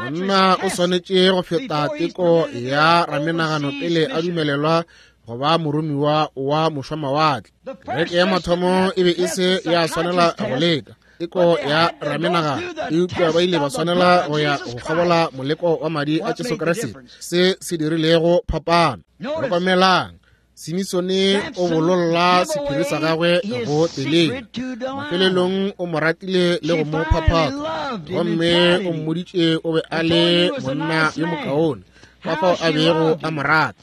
monna o swanetše go feta teko ya ramenagano pele a dumelelwa go ba moromiwa wa mošwamawatle. Kereke ya mathomo e be e se ya swanela go leka teko ya ramenagano, eupša ba ile ba swanela go ya go kgabola moleko wa madi a Jesu Kriste, se se dirilego phapano. Hlokomelang, Simisone o bololla sephiri sa gagwe go Delila. Mafelelong o mo ratile le go mo phaphatha, gomme o mmoditše o be a le monna yo mokaone, ka fao a bego a mo rata,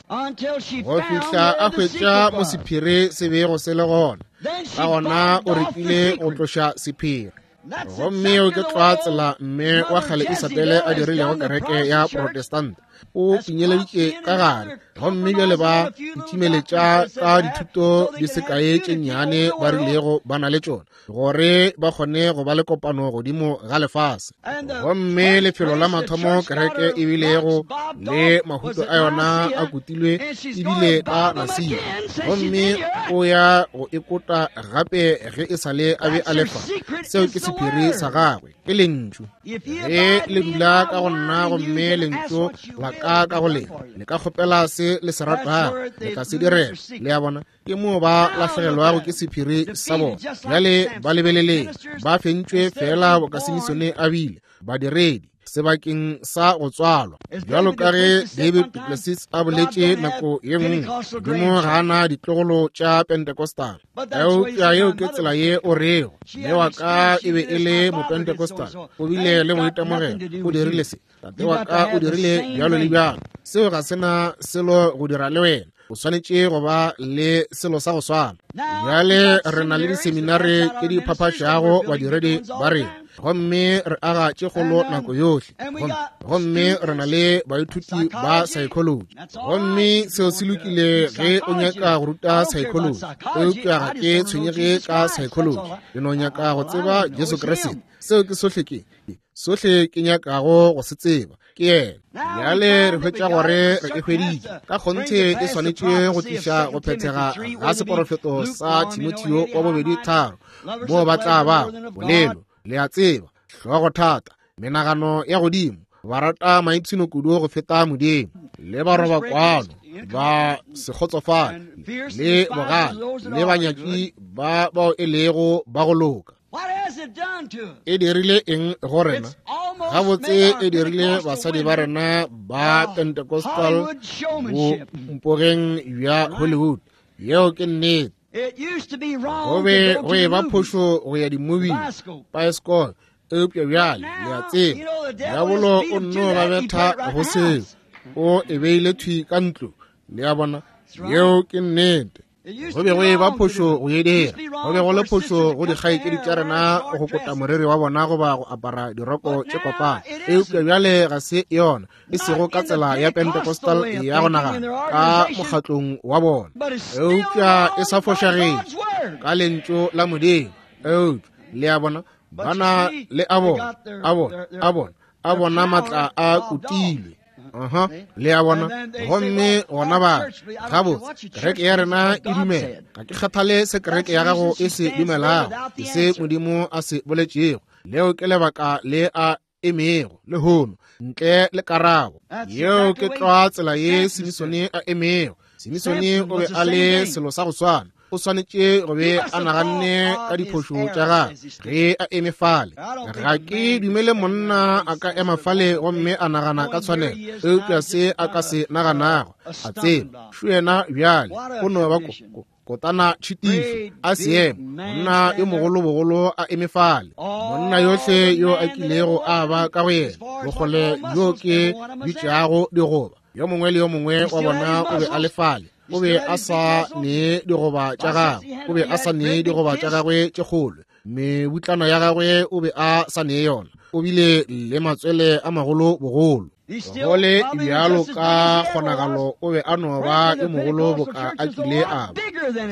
go fihla a hwetša mo sephiri se bego se le gona. Ka gona o rekile go tloša sephiri. Gomme o ke tlwa tsela mme wa kgale Isabele a dirilego kereke ya Protestant. O pinyeleditše ka gare, gomme bjale ba itšimeletša ka dithuto di sekae tše nnyane ba rilego ba na le tšona, gore ba kgone go ba le kopano godimo ga lefase. Gomme lefelo la mathomo kereke e bilego le mahuto a yona a kutilwe ebile ka Nasia, gomme o ya go e kota gape ge e sa le a be a lefa. Seo ke sephiri sa gagwe, ke lentšu. Ge le dula ka go nna gomme lentšu la ka ka go lena, le ka kgopela se le se ratago, le tla se direla. Le a bona, ke moo ba lahlegelwago ke sephiri sa bona. Bjale ba lebeleleng, ba fentšwe feela boka Simisone a bile, badiredi sebakeng sa go tswalwa. Bjalo ka ge David du Plessis a boletše nako ye nngwe, Modimo ga a na ditlogolo tša Pentecostal. Eupša yeo ke tsela ye o rego, mme wa ka e be e le Mopentecostal, o bile le boitemogelo, o dirile se, tate wa ka o dirile bjalo le bjalo. Seo ga se na selo go dira le wena. O swanetše go ba le selo sa go swana. Bjale re na le diseminare tše di phaphašago badiredi ba rena, gomme re aga tše kgolo nako yohle, gomme re na le baithuti ba psychology, gomme seo se lokile ge o nyaka go ruta psychology, eupša ga ke tshwenyege ka psychology. Ke no nyaka go tseba Jesu Kriste. Seo ke sohle ke sohle ke nyakago go se tseba, ke yena. Bjale re hwetša gore re e hweditše ka kgonthe e swanetše go tliša go phethega ga seporofeto sa Timotheo wa bobedi 3, moo ba tla ba bolelo, le a tseba, hlogo thata, menagano ya godimo, ba rata maipshino kudu go feta Modimo, le ba roba kwano, ba se kgotsofale, le bogale, le banyaki ba bao e lego ba go loka. E dirile eng go rena? Gabotse e dirile basadi ba rena ba Pentecostal bo mpogeng bja Hollywood. Yeo ke nnete. Go be go e ba phošo go ya di-movie, paesekolo, eupša bjale le a tseba, diabolo o nno ba betha go seo, o e beile thwi ka ntlo. Le a bona, yeo ke nnete. Go be go e ba phošo go e dira. Go be go le phošo go dikgaetšedi tša rena go kota moriri wa bona goba go apara diroko tše kopana, eupša bjale ga se yona, e sego ka tsela ya Pentecostal ya go nagana ka mokgatlong wa bona, eupša e sa fošagetše ka lentšu la Modimo. Eupša le a bona, ba na le a bona, a bona, a bona, a bona matla a kutilwe. Aha, le a bona. Gomme gona ba gabotse kereke ya rena e dumela. Ga ke kgathale se kereke ya gago e se dumelago, ke se Modimo a se boletšego. Leo ke lebaka le a emego lehono ntle le karabo. Yeo ke tlwa tsela ye Simisone a emego. Simisone o be a le selo sa go swana. O swanetše go be a naganne ka diphošo tša gagwe ge a eme fale. Ga ke dumele monna a ka ema fale gomme a nagana ka tshwanelo, eupša se a ka se naganago, a tseba šo yena bjale o no ba kotana tšhitišo a seemo, monna yo mogolobogolo a eme fale, monna yohle yo a kilego a ba ka go yena, bokgole bjo ke bitšago digoba, yo mongwe le yo mongwe wa bona o be a le fale. O be a sa nee digoba tša gagwe, o be a sa nee digoba tša gagwe tše kgolo. Mebutlana ya gagwe o be a sa ne yona. O bile le matswele a magolo bogolo. Go le bjalo ka kgonagalo o be a no ba yo mogolo boka a kile a ba.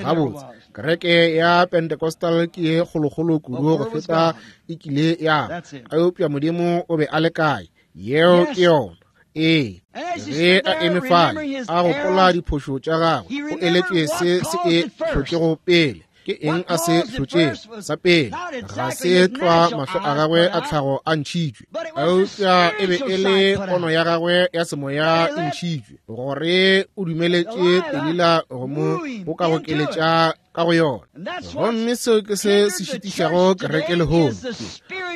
Gabotse, kereke ya Pentecostal ke ye kgolokgolo kudu go feta e kile ya ba. Eupša Modimo o be a le kae? Yeo ke yona. Ee, ge a eme fale a gopola diphošo tša gagwe, o eletšwe se se e hlotšego pele. Ke eng a se hlotšego? Sa pele, ga se tlwa mahlo a gagwe a tlhago a ntšhitšwe, eupša e be e le pono ya gagwe ya semoya e ntšhitšwe, gore o dumeletše Delila go mo gokagokeletša ka go yona. Gomme seo ke se se šitišago kereke lehono.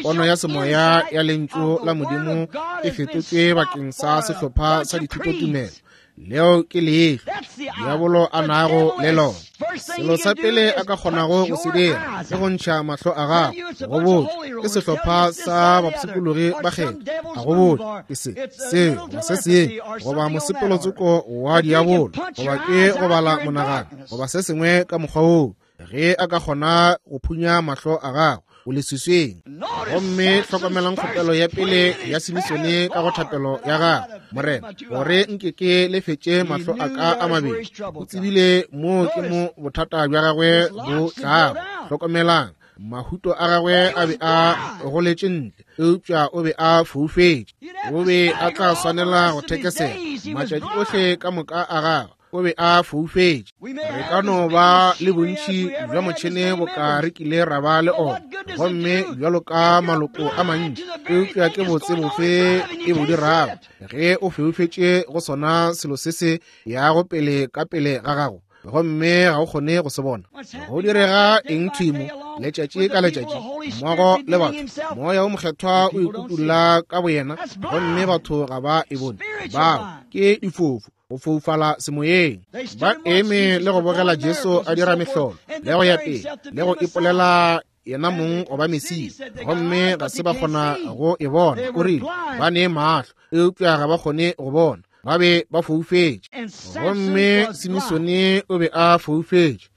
Pono ya semoya ya Lentšu la Modimo e fetotšwe bakeng sa sehlopha sa dithutotumelo. Leo ke leihlo diabolo a nago le lona. Selo sa pele a ka kgonago go se dira ke go ntšha mahlo a gago. Go botša ke sehlopha sa bapshikologi ba kgetho, a go botša ke se se goba se sengwe, goba mosepelotsoko wa diabolo, goba ke go bala monagano, goba se sengwe ka mokgwa woo. Ge a ka kgona go phunya mahlo a gago, o leswiswing. Gomme hlokomelang kgopelo ya pele ya Simisone ka go thapelo ya gagwe, Morena, gore nke ke lefetše mahlo a ka a mabedi. O tsebile moo ke mo bothata bja gagwe bo tlago. Hlokomelang, mahuto a gagwe a be a goletše ntle, eupša o be a foufetše. O be a tla swanela go thekesela matšatši ohle ka moka a gagwe. O be a foufetše. Re ka no ba le bontši bja motšhene boka re kile ra ba le ona, gomme bjalo ka maloko a mantši, eupša ke botse bofe e bo dirago ge o foufetše go sona selo se se yago pele ka pele ga gago, gomme ga o kgone go se bona? Go direga eng thwi mo letšatši ka letšatši mmogo le batho? Moya o Mokgethwa o ikutulla ka boyena, gomme batho ga ba e bone. Bao ke difofu, go foufala semoyeng. Ba eme le go bogela Jesu a dira mehlolo le go ya pele le go ipolela yena mong goba Mesia, gomme ga se ba kgona go e bona. O rile ba ne mahlo, eupša ga ba kgone go bona. Ba be ba foufetše. Gomme Simisone o be a foufetše.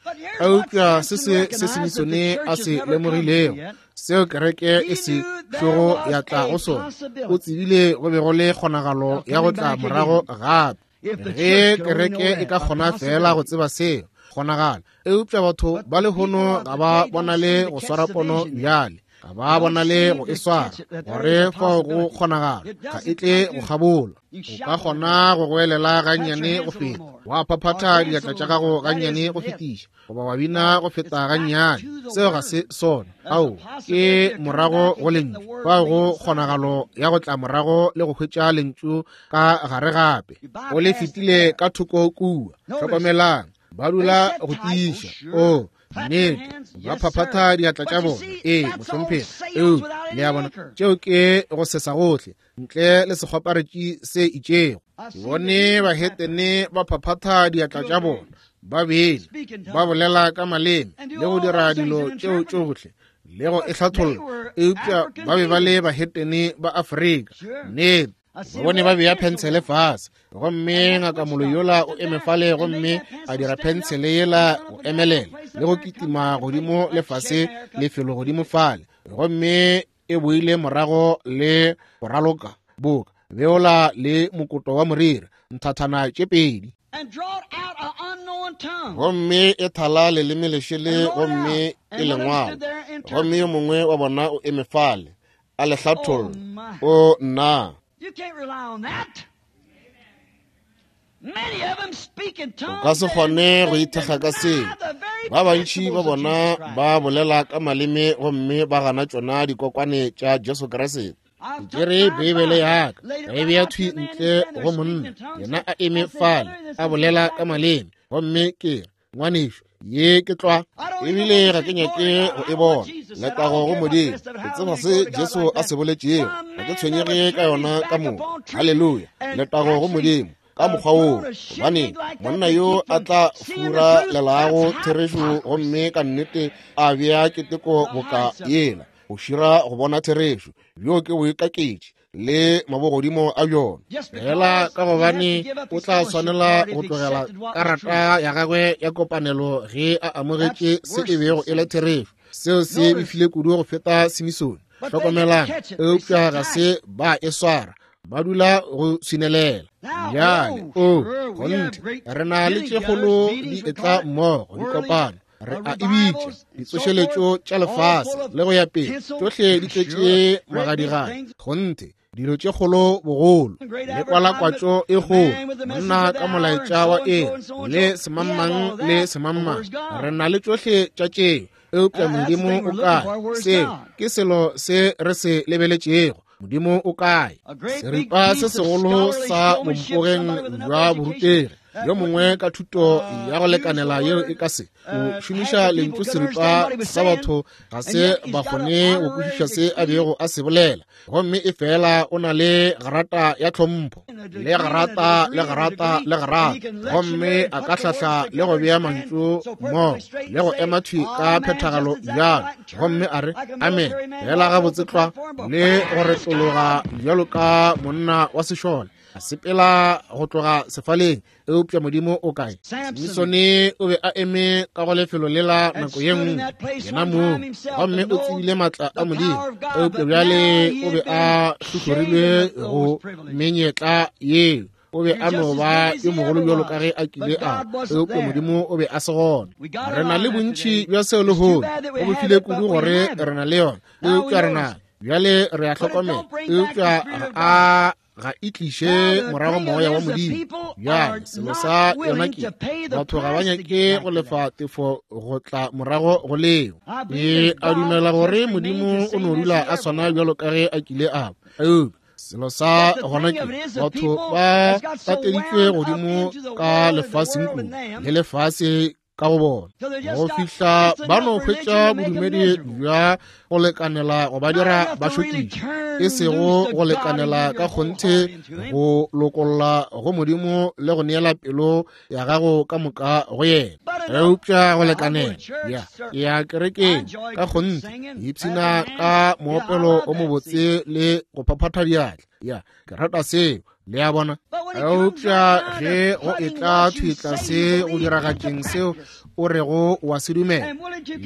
Eupša se se se Simisone a se lemogilego, seo kereke e se tlogo ya tla go sona, o tsebile go be go le kgonagalo ya go tla morago gape. Ge kereke e ka kgona fela go tseba seo, kgonagalo. Eupša batho ba lehono ga ba bonale go swara pono bjale, ga ba bonale go e swara, gore fao go kgonagalo ga e tle go kgabola. O ka kgona go goelela gannyane go feta, wa phaphatha diatla tša gago gannyane go fetiša, goba wa bina go feta gannyane. Seo ga se sona. Ao, ke morago go Lentšu. Fao go kgonagalo ya go tla morago le go hwetša Lentšu ka gare gape. O le fetile ka thoko kua. Hlokomelang, ba dula go tiiša. O, nnete, ba phaphatha diatla tša bona. Ee, mohlomphegi. Eupša, le a bona, tšeo ke go sesa gohle, ntle le sekgwaparetši se itšego. Ke bone bahetene ba phaphatha diatla tša bona, ba bene, ba bolela ka maleme le go dira dilo tšeo tšohle le go e hlatholla, eupša ba be ba le bahetene ba Afrika. Nnete, ba bone ba bea phentshele fase, gomme ngaka moloi yola o eme fale gomme a dira phentshele yela go emelela le go kitima godimo le fase lefelo godimo fale, gomme e boile morago le go raloka boka beola le mokoto wa moriri nthathana tše pedi, gomme e thala leleme lešele gomme e lengwalo, gomme yo mongwe wa bona o eme fale a le hlatholla. O nna! O ka se kgone go ithekga ka seo. Ba bantši ba bona ba bolela ka maleme gomme ba gana tšona dikokwane tša Jesu Kriste. Ke tšere Beibele ya ka ka e bea thwi ntle go monna, yena a eme fale a bolela ka maleme, gomme ke re, Ngwanešu, ye ke tlwa, ebile ga ke nyake go e bona. Letago go Modimo, ke tseba se Jesu a se boletšego, ga ke tshwenyege ka yona ka moka. Haleluya, letago go Modimo ka mokgwa woo. Gobane monna yo a tla furalelago therešo gomme ka nnete a bea keteko boka yela, go šira go bona therešo, bjo ke boikaketši. le mabogodimo a bjona. Fela ka gobane o tla swanela go tlogela karata ya gagwe ya kopanelo ge a amogetše se e bego e le therešo. Seo se befile kudu go feta Simisone. Hlokomelang, eupša ga se ba e swara, ba dula go swinelela. Bjale, o kgonthe, re na le tše kgolo di etla mmogo, dikopano, re a e bitša ditsošeletšo tša lefase le go ya pele, tšohle di tletše magadigadi. Kgonthe, dilo tše kgolo bogolo le kwalakwatšo e kgolo, monna ka molaetša wa eng le semangmang le semangmang, re na le tšohle tša tšeo, eupša Modimo o kae? Seo ke selo se re se lebeletšego. Modimo o kae? Seripa se segolo sa bompogeng bja borutegi, yo mongwe ka thuto ya go lekanela yeo e ka se o šomiša lentšu seripa sa batho ga se ba kgone go kwešiša se a bego a se bolela, gomme e fela o na le garata ya tlhompho le garata le garata le garata, gomme a ka hlahla le go bea mantšu mmogo le go ema thwi ka phethagalo bjalo, gomme a re amen fela gabotse tlwa, le go retologa bjalo ka monna wa sešole a sepela go tloga sefaleng. Eupša Modimo o kae? Simisone o be a eme ka go lefelo lela nako ye nngwe yena mong, gomme o tsebile maatla a Modimo, eupša bjale o be a hlohlorilwe go menyetla yeo. O be a no ba yo mogolo bjalo ka ge a kile a, eupša Modimo o be a se gona. Re na le bontši bja seo lehono, go bofile kudu gore re na le yona, eupša re na bjale re a hlokomela, eupša a ga e tliše morago moya wa Modimo. Bjale selo sa yona ke batho ga ba nyake go lefa tefo go tla morago go leo. Ke a dumela gore Modimo o no dula a swana bjalo ka ge a kile a ba, eupša selo sa gona ke batho ba tateditšwe godimo ka lefaseng kudu le lefase ka go bona go fihla ba no hwetša bodumedi bja go lekanela go ba dira ba šokiše, e sego go lekanela ka kgonthe go lokolla go Modimo le go neela pelo ya gago ka moka go yena, eupša go lekanela ya ya kerekeng ka kgonthe, ipshina ka moopelo o mobotse le go phaphatha diatla. Ya, ke rata seo. Le a bona? Eupša ge go etla thwi tlase go diragatšeng seo o rego wa se dumela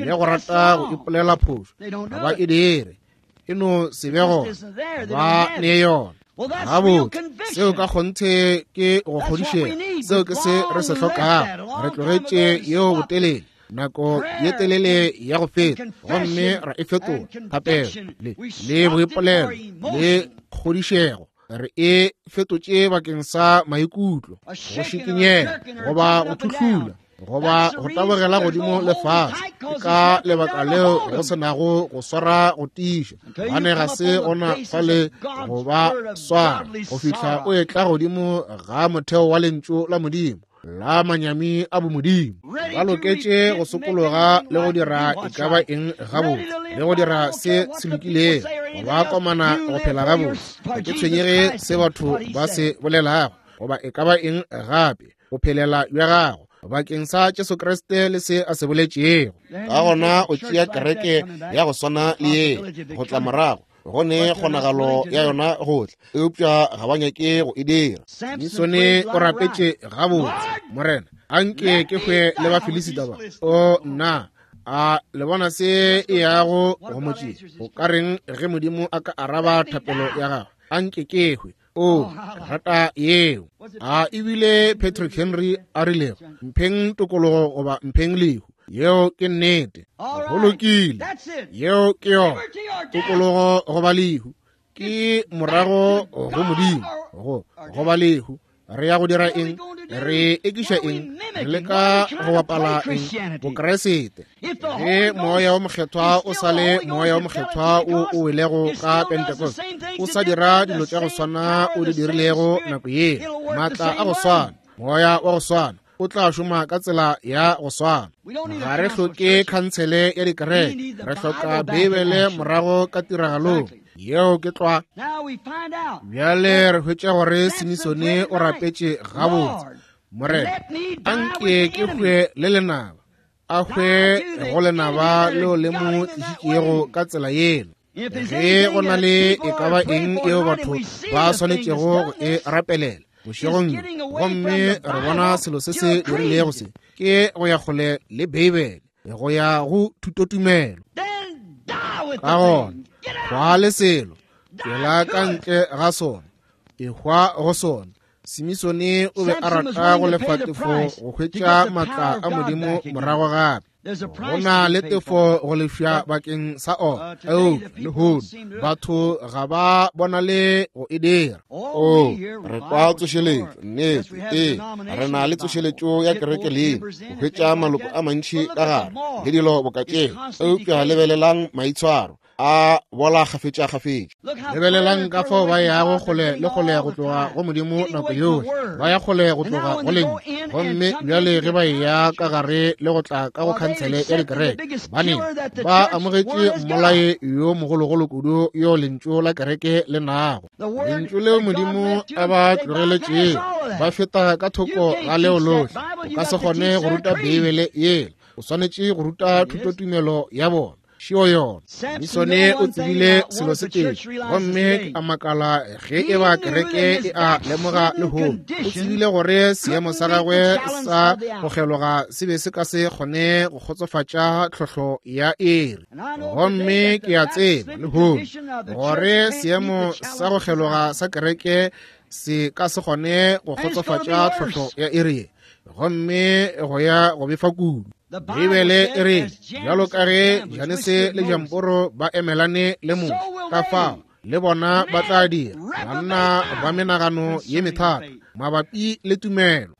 le go rata go ipolela phošo, ga ba e dire, e no se be gona, ba ne yona. Gabotse, seo ka kgonthe ke go kgodišega, seo ke se re se hlokago. Re tlogetše yeo botelele, nako ye telele ya go feta, gomme ra e fetola thapelo le boipolelo le kgodišego. Re e fetotše bakeng sa maikutlo, go šikinyega goba go thuhlula goba go tabogela godimo le fase. Ke ka lebaka leo go se nago go swara go tiiša, gobane ga se gona fale go ba swara go fihla o etla godimo ga motheo wa lentšu la Modimo la manyami a bomodimo. Ba loketše go sokologa le go dira e ka ba eng gabotse le go dira se se lokilego, go ba komana go phela gabotse. Ga ke tshwenyege se batho ba se bolelago goba e ka ba eng gape, go phelela bja gago bakeng sa Jesu Kriste le se a se boletšego. Ka gona o tšea kereke ya go swana le ye go tla morago, go ne kgonagalo ya yona go tla, eupša ga ba nyake go e dira. Simisone o rapetše gabotse, Morena, anke ke hwe le Bafilisita ba. O nna, a le bona se e yago go mo tšea? O ka reng ge Modimo a ka araba thapelo ya gagwe? Anke ke hwe. O rata yeo. A ebile Patrick Henry a rilego, mpheng tokologo goba mpheng lehu. Yeo ke nnete. Go lokile. Yeo ke yona. Tokologo goba lehu ke morago go Modimo, go goba lehu. Re ya go dira eng? Re ekiša eng? Re leka go bapala eng? Bokreste. Ge Moya wo Mokgethwa o sa le Moya wo Mokgethwa o o welego ka Pentecost, o sa dira dilo tša go swana o di dirilego nako yeo, maatla a go swana, Moya wa go swana, o tla šoma ka tsela ya go swana. Ga re hloke khansele ya dikereke, re hloka Beibele morago ka tiragalong. Yeo ke tlwa. Bjale re hwetša gore Simisone o rapetše gabotse, Morena, anke ke hwe le lenaba, a hwe go lenaba leo le mo tlišitšego ka tsela yela. Ge go na le e ka ba eng eo batho ba swanetšego go e rapelela bošegong bjo, gomme re bona selo se se dirilego se, ke go ya kgole le Beibele, go ya go thutotumelo. Ka gona hwa le selo, tšwela ka ntle ga sona, ehwa go sona. Simisone o be a rata go lefa tefo go hwetša maatla a Modimo morago gape. Go na le tefo go lefša bakeng sa ona, eupša lehono batho ga ba bonale go e dira.
Oo, re kwa tsošeletšo, nnete. Ee, re na le tsošeletšo ya kereke leina, go hwetša maloko a mantši ka gare le dilo boka tšeo, eupša lebelelang maitshwaro a bola kgafetšakgafetša.
Lebelelang ka fao ba yago kgole le kgole go tloga go Modimo nako yohle, ba ya kgole go tloga go Lentšu. Gomme bjale ge ba eya ka gare le go tla ka go khansele ya dikereke, baneng ba amogetše mmolai yo mogologolo kudu yo Lentšu la kereke le nago, Lentšu leo Modimo a ba tlogeletšego. Ba feta ka thoko ga leo lohle. O ka se kgone go ruta Beibele yela, o swanetše go ruta thutotumelo ya bona. Šio yona. Simisone o tsebile selo se tee, gomme ke a makala ge e ba kereke e a lemoga lehono. O tsebile gore seemo sa gagwe sa go kgeloga se be se ka se kgone go kgotsofatša tlhohlo ya iri. Gomme ke a tseba lehono gore seemo sa go kgeloga sa kereke se ka se kgone go kgotsofatša tlhohlo ya iri, gomme go ya go befa kudu. Beibele e re, bjalo ka ge Janese le Jamporo ba emelane le Moshe, ka fao le bona ba tla dira, banna ba menagano ye methata mabapi le tumelo.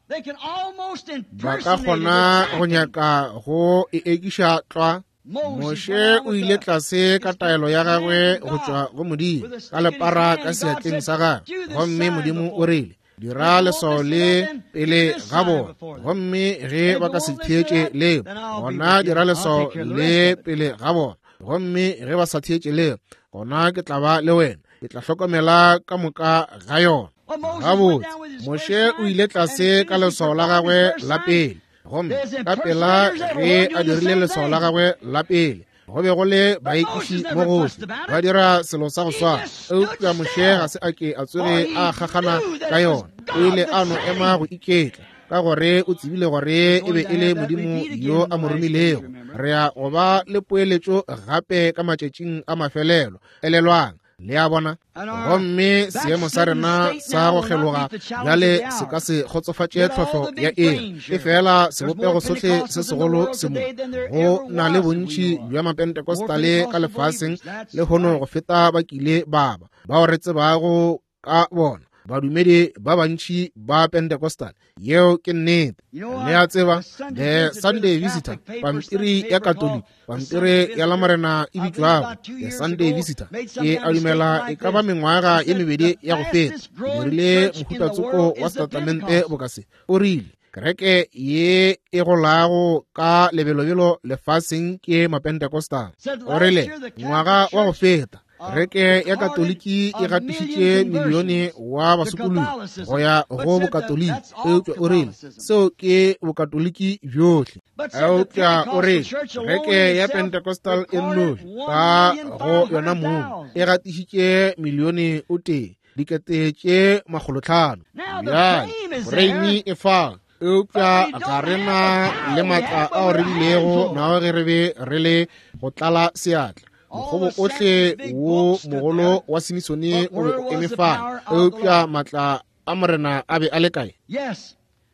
Ba ka kgona go nyaka go e ekiša tlwa. Moshe o ile tlase ka taelo ya gagwe go tšwa go Modimo, ka lepara ka seatleng sa gagwe, gomme Modimo o rile, dira leswao le pele ga bona, gomme ge ba ka se theetše leo, gona dira leswao le pele ga bona, gomme ge ba sa theetše leo, gona ke tla ba le wena, ke tla hlokomela ka moka ga yona. Gabotse, Moshe o ile tlase ka leswao la gagwe la pele, gomme ka pela ge a dirile leswao la gagwe la pele, go be go le baekiši mo gohle ba dira selo sa go swana, eupša Moshe ga se a ke a tsoge a kgakgana ka yona. O ile a no ema go iketla, ka gore o tsebile gore e be e le Modimo yo a mo romilego. Re ya go ba le poeletšo gape ka matšatšing a mafelelo. Elelwang, le a bona. Gomme seemo sa rena sa go kgeloga bjale se ka se kgotsofatše tlhohlo ya eng, efela sebopego sohle se segolo se mo. Go na le bontši bja Mapentecostale ka lefaseng lehono go feta ba kile ba ba bao re tsebago ka bona, badumedi ba bantši ba Pentecostal. Yeo ke nnete. Le a tseba, The Sunday Visitor, pampiri ya Katoliki, pampiri ya Lamorena e bitšwago The Sunday Visitor, ke a dumela e ka ba mengwaga ye mebedi ya go feta, e dirile mohutatsoko wa setatamente boka se. O rile, kereke ye e golago ka lebelobelo lefaseng ke Mapentecostal. O rile, ngwaga wa go feta, kereke ya Katoliki e gatišitše milione wa basokologi go ya go Bokatoliki, eupša o rile seo ke Bokatoliki bjohle. Eupša o rile kereke ya Pentecostal e nnoši ka go yona mong e gatišitše milione o tee 500,000. Bjale foreimi e fa, eupša ga re na le maatla ao re bilego nao ge re be re le go tlala seatla. Mokgobo ohle wo mogolo wa Simisone o be o eme fale, eupša maatla a Morena a be a le kae?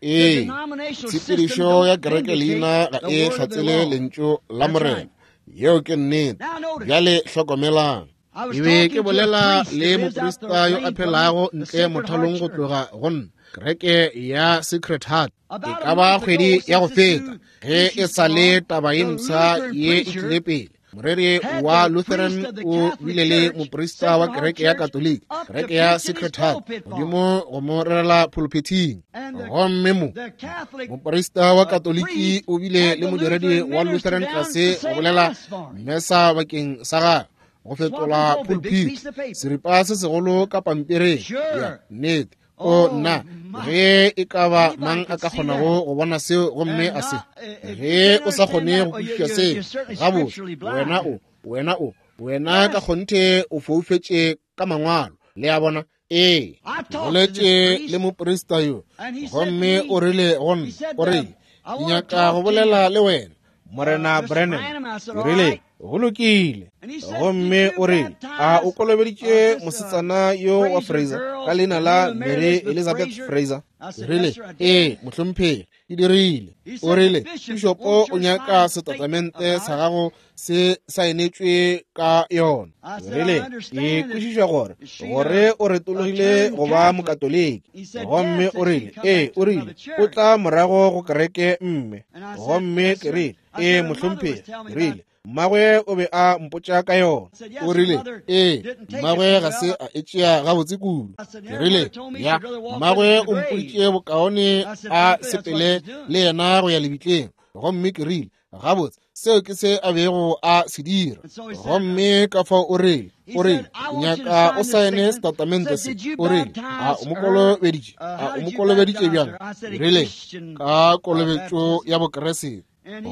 Ee, tshepedišo ya kereke leina ga e hlatsele lentšu la Morena. Yeo ke nnete. Bjale hlokomelang.
Ke be ke bolela le moprista yo a phelago ntle mothalong go tloga go nna, kereke ya Sacred Heart, e ka ba kgwedi ya go feta, ge e sa le taba ye mpsha ye e tlile pele. Moreri wa Lutheran o bile le moprista wa kereke ya Katoliki, kereke ya Sacred Heart, godimo go mo rerela pulpithing. Gomme mo moprista wa Katoliki o bile le modiredi wa Lutheran tlase go bolela mesa bakeng sa gagwe, go fetola pulpit seripa se segolo ka pampiring. Ya nnete. O nna, ge e ka ba mang a ka kgonago go bona seo gomme a se, ge o sa kgone go kwešiša seo gabotse, wena o, wena o, Wena ka kgonthe o foufetše ka mangwalo. Le a bona? Ee. Boletše le moprista yo, gomme o rile go nna, o rile, Ke nyaka go bolela le wena, Morena Branham. Ke rile, Go lokile. Gomme o rile, A o kolobeditše mosetsana yo wa Fraser ka leina la Mary Elizabeth Fraser? Ke rile, Ee, mohlomphegi, ke dirile. O rile, Pišopo o nyaka setatamente sa gago se saenetšwe ka yona. Ke rile, Ke kwešiša gore gore o retologile go ba Mokatoliki. Gomme o rile, Ee, o rile, o tla morago go kereke mme. Gomme ke rile, Ee, mohlomphegi. Ke rile, Mmagwe o be a mpotša ka yona. O rile, Ee, mmagwe ga se a e tšea gabotse kudu. Ke rile, Ya, mmagwe o mpoditše bokaone a sepele le yena go ya lebitleng. Gomme ke rile, Gabotse, seo ke se a bego a se dira. Gomme ka fao o rile, o rile, Ke nyaka o saene setatamente se. O rile, A o mo kolobeditše? A o mo kolobeditše bjang? Ke rile, Ka kolobetšo ya Bokriste.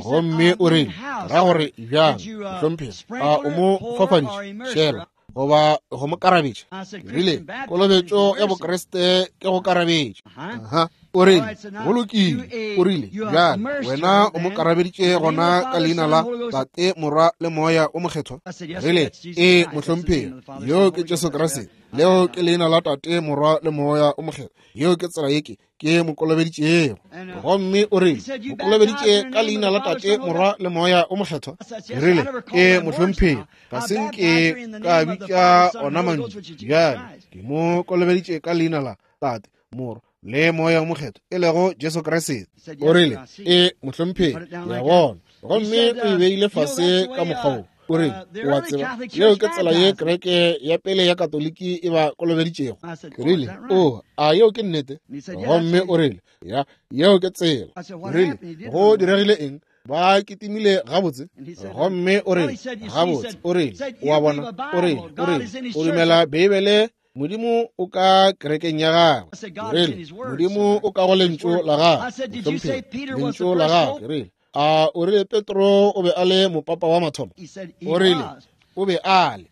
Gomme o rile, Ra gore bjang, mohlomphegi? A o mo fafaditše? Šela goba go mo karabetša? Ke rile, Kolobetšo ya Bokriste ke go karabetša. Aha. O rile, Go lokile. O rile, Bjale wena o mo karabeditše gona ka leina la Tate, Morwa le Moya o Mokgethwa? Ke rile, Ee, mohlomphegi, yoo ke Jesu Kriste. Leo ke leina la Tate, Morwa le Moya o Mokgethwa. Yeo ke tsela ye ke ke mo kolobeditšego. Gomme o rile, O kolobeditše ka leina la Tate, Morwa le Moya o Mokgethwa? Ke rile, Ee, mohlomphegi, ga se nke ka bitša ona mantšu. Bjale ke mo kolobeditše ka leina la Tate, Morwa le Moya o Mokgethwa, e lego Jesu Kriste. O rile, Ee, mohlomphegi, ke a bona. Gomme o e beile fase ka mokgwa wo. O rile, O a tseba, yeo ke tsela ye kereke ya pele ya Katoliki e ba kolobeditšego. Ke rile, O, a yeo ke nnete? Gomme o rile, Ya, yeo ke tsela. Ke rile, Go diregile eng? Ba kitimile gabotse. Gomme o rile, Gabotse, o rile, o a bona, o rile, o rile, o dumela Beibele, Modimo o ka kerekeng ya gagwe. Ke rile, Modimo o ka go lentšu la gagwe, mohlomphegi, lentšu la gagwe. Ke rile, A o rile Petro o be a le mopapa wa mathomo? O rile o be a le.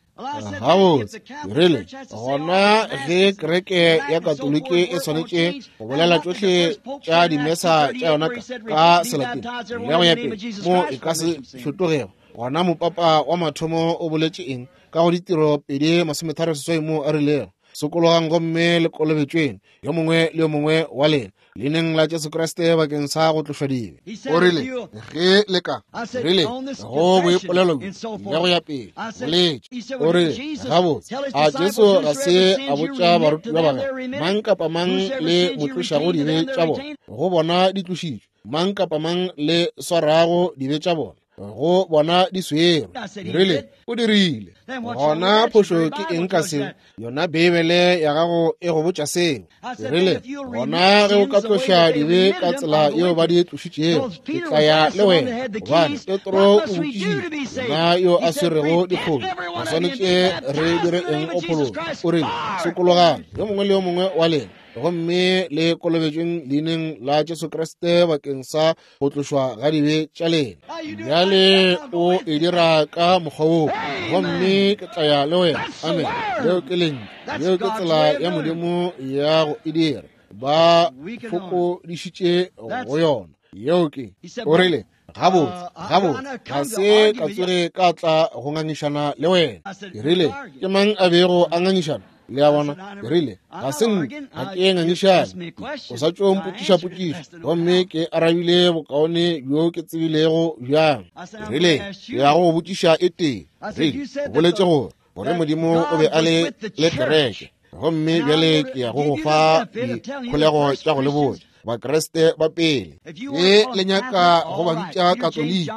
Gabotse, ke rile, gona ge kereke ya Katoliki e swanetše go bolela tšohle tša dimesa tša yona ka Selatine le go ya pele, mo e ka se fetogego, gona mopapa wa mathomo o boletše eng ka go Ditiro 2:38 moo a rilego, Sokologang gomme le kolobetšweng, yo mongwe le yo mongwe wa lena, leineng la Jesu Kriste bakeng sa go tlošwa dibe. O rile, ge le ka, rile, go boipolelo bjo le go ya pele, boletše. O rile, gabotse, a Jesu ga se a botša barutiwa ba gagwe, mang kapa mang le mo tlošago dibe tša bona, go bona di tlošitšwe, mang kapa mang le swarago dibe tša bona, go bona di swerwe. Rile, o dirile. Gona phošo ke eng ka seo? Yona Beibele ya gago e go botša seo. Rile, gona ge o ka tloša dibe ka tsela yeo ba di tlošitšego, ke tla ya le wena. Gobane Petro o botšišitše, yena yo a swerego dikgomo, re swanetše re dire eng go phologa? O rile, sokologang, yo mongwe le yo mongwe wa lena, gomme le kolobetšweng leineng la Jesu Kriste bakeng sa go tlošwa ga dibe tša lena. Bjale o e dira ka mokgwa woo, gomme ke tla ya le wena. Amen. Leo ke lentšu. Yeo ke tsela ya Modimo ya go e dira. Ba fokodišitše go yona. Yeo ke. O rile, Gabotse, gabotse, ga se ka tsoge ka tla go ngangišana le wena. Ke rile, Ke mang a bego a ngangišana? Le a bona? Ke rile, ga se nna, ga ke ngangišane. O sa tšo mpotšiša potšišo, gomme ke arabile bokaone bjo ke tsebilego bjang. Ke rile, ke ya go go botšiša e tee. Rile, o boletše gore, gore Modimo o be a le le kereke, gomme bjale ke ya go go fa dikholego tša go le botša Bakriste ba pele. Ge le nyaka go ba bitša Katoliki,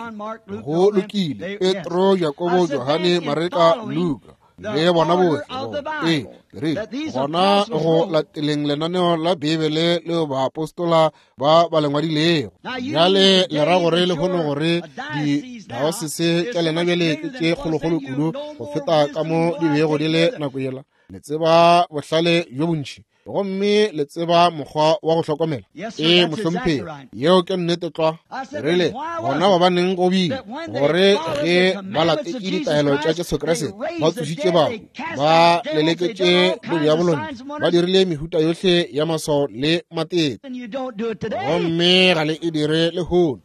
go lokile, Petro, Jakobo, Johane, Mareka, Luka, le bona bohle. Ee, ke rile, gona go lateleng lenaneo la Beibele leo baapostola ba ba le ngwadilego. Bjale le ra gore lehono gore didaosese tša lena bjale ke tše kgolokgolo kudu go feta ka mo di bego di le nako yela. Le tseba bohlale bjo bontši. Gomme le tseba mokgwa wa go hlokomela. Ee, mohlomphegi, yeo ke nnete tlwa. Rile, gona gobaneng go bile gore ge ba latetše ditaelo tša Jesu Kriste, ba tsošitše bahu, ba leleketše bodiabolo ntle, ba dirile mehuta yohle ya maswao le matete, gomme ga le e dire lehono.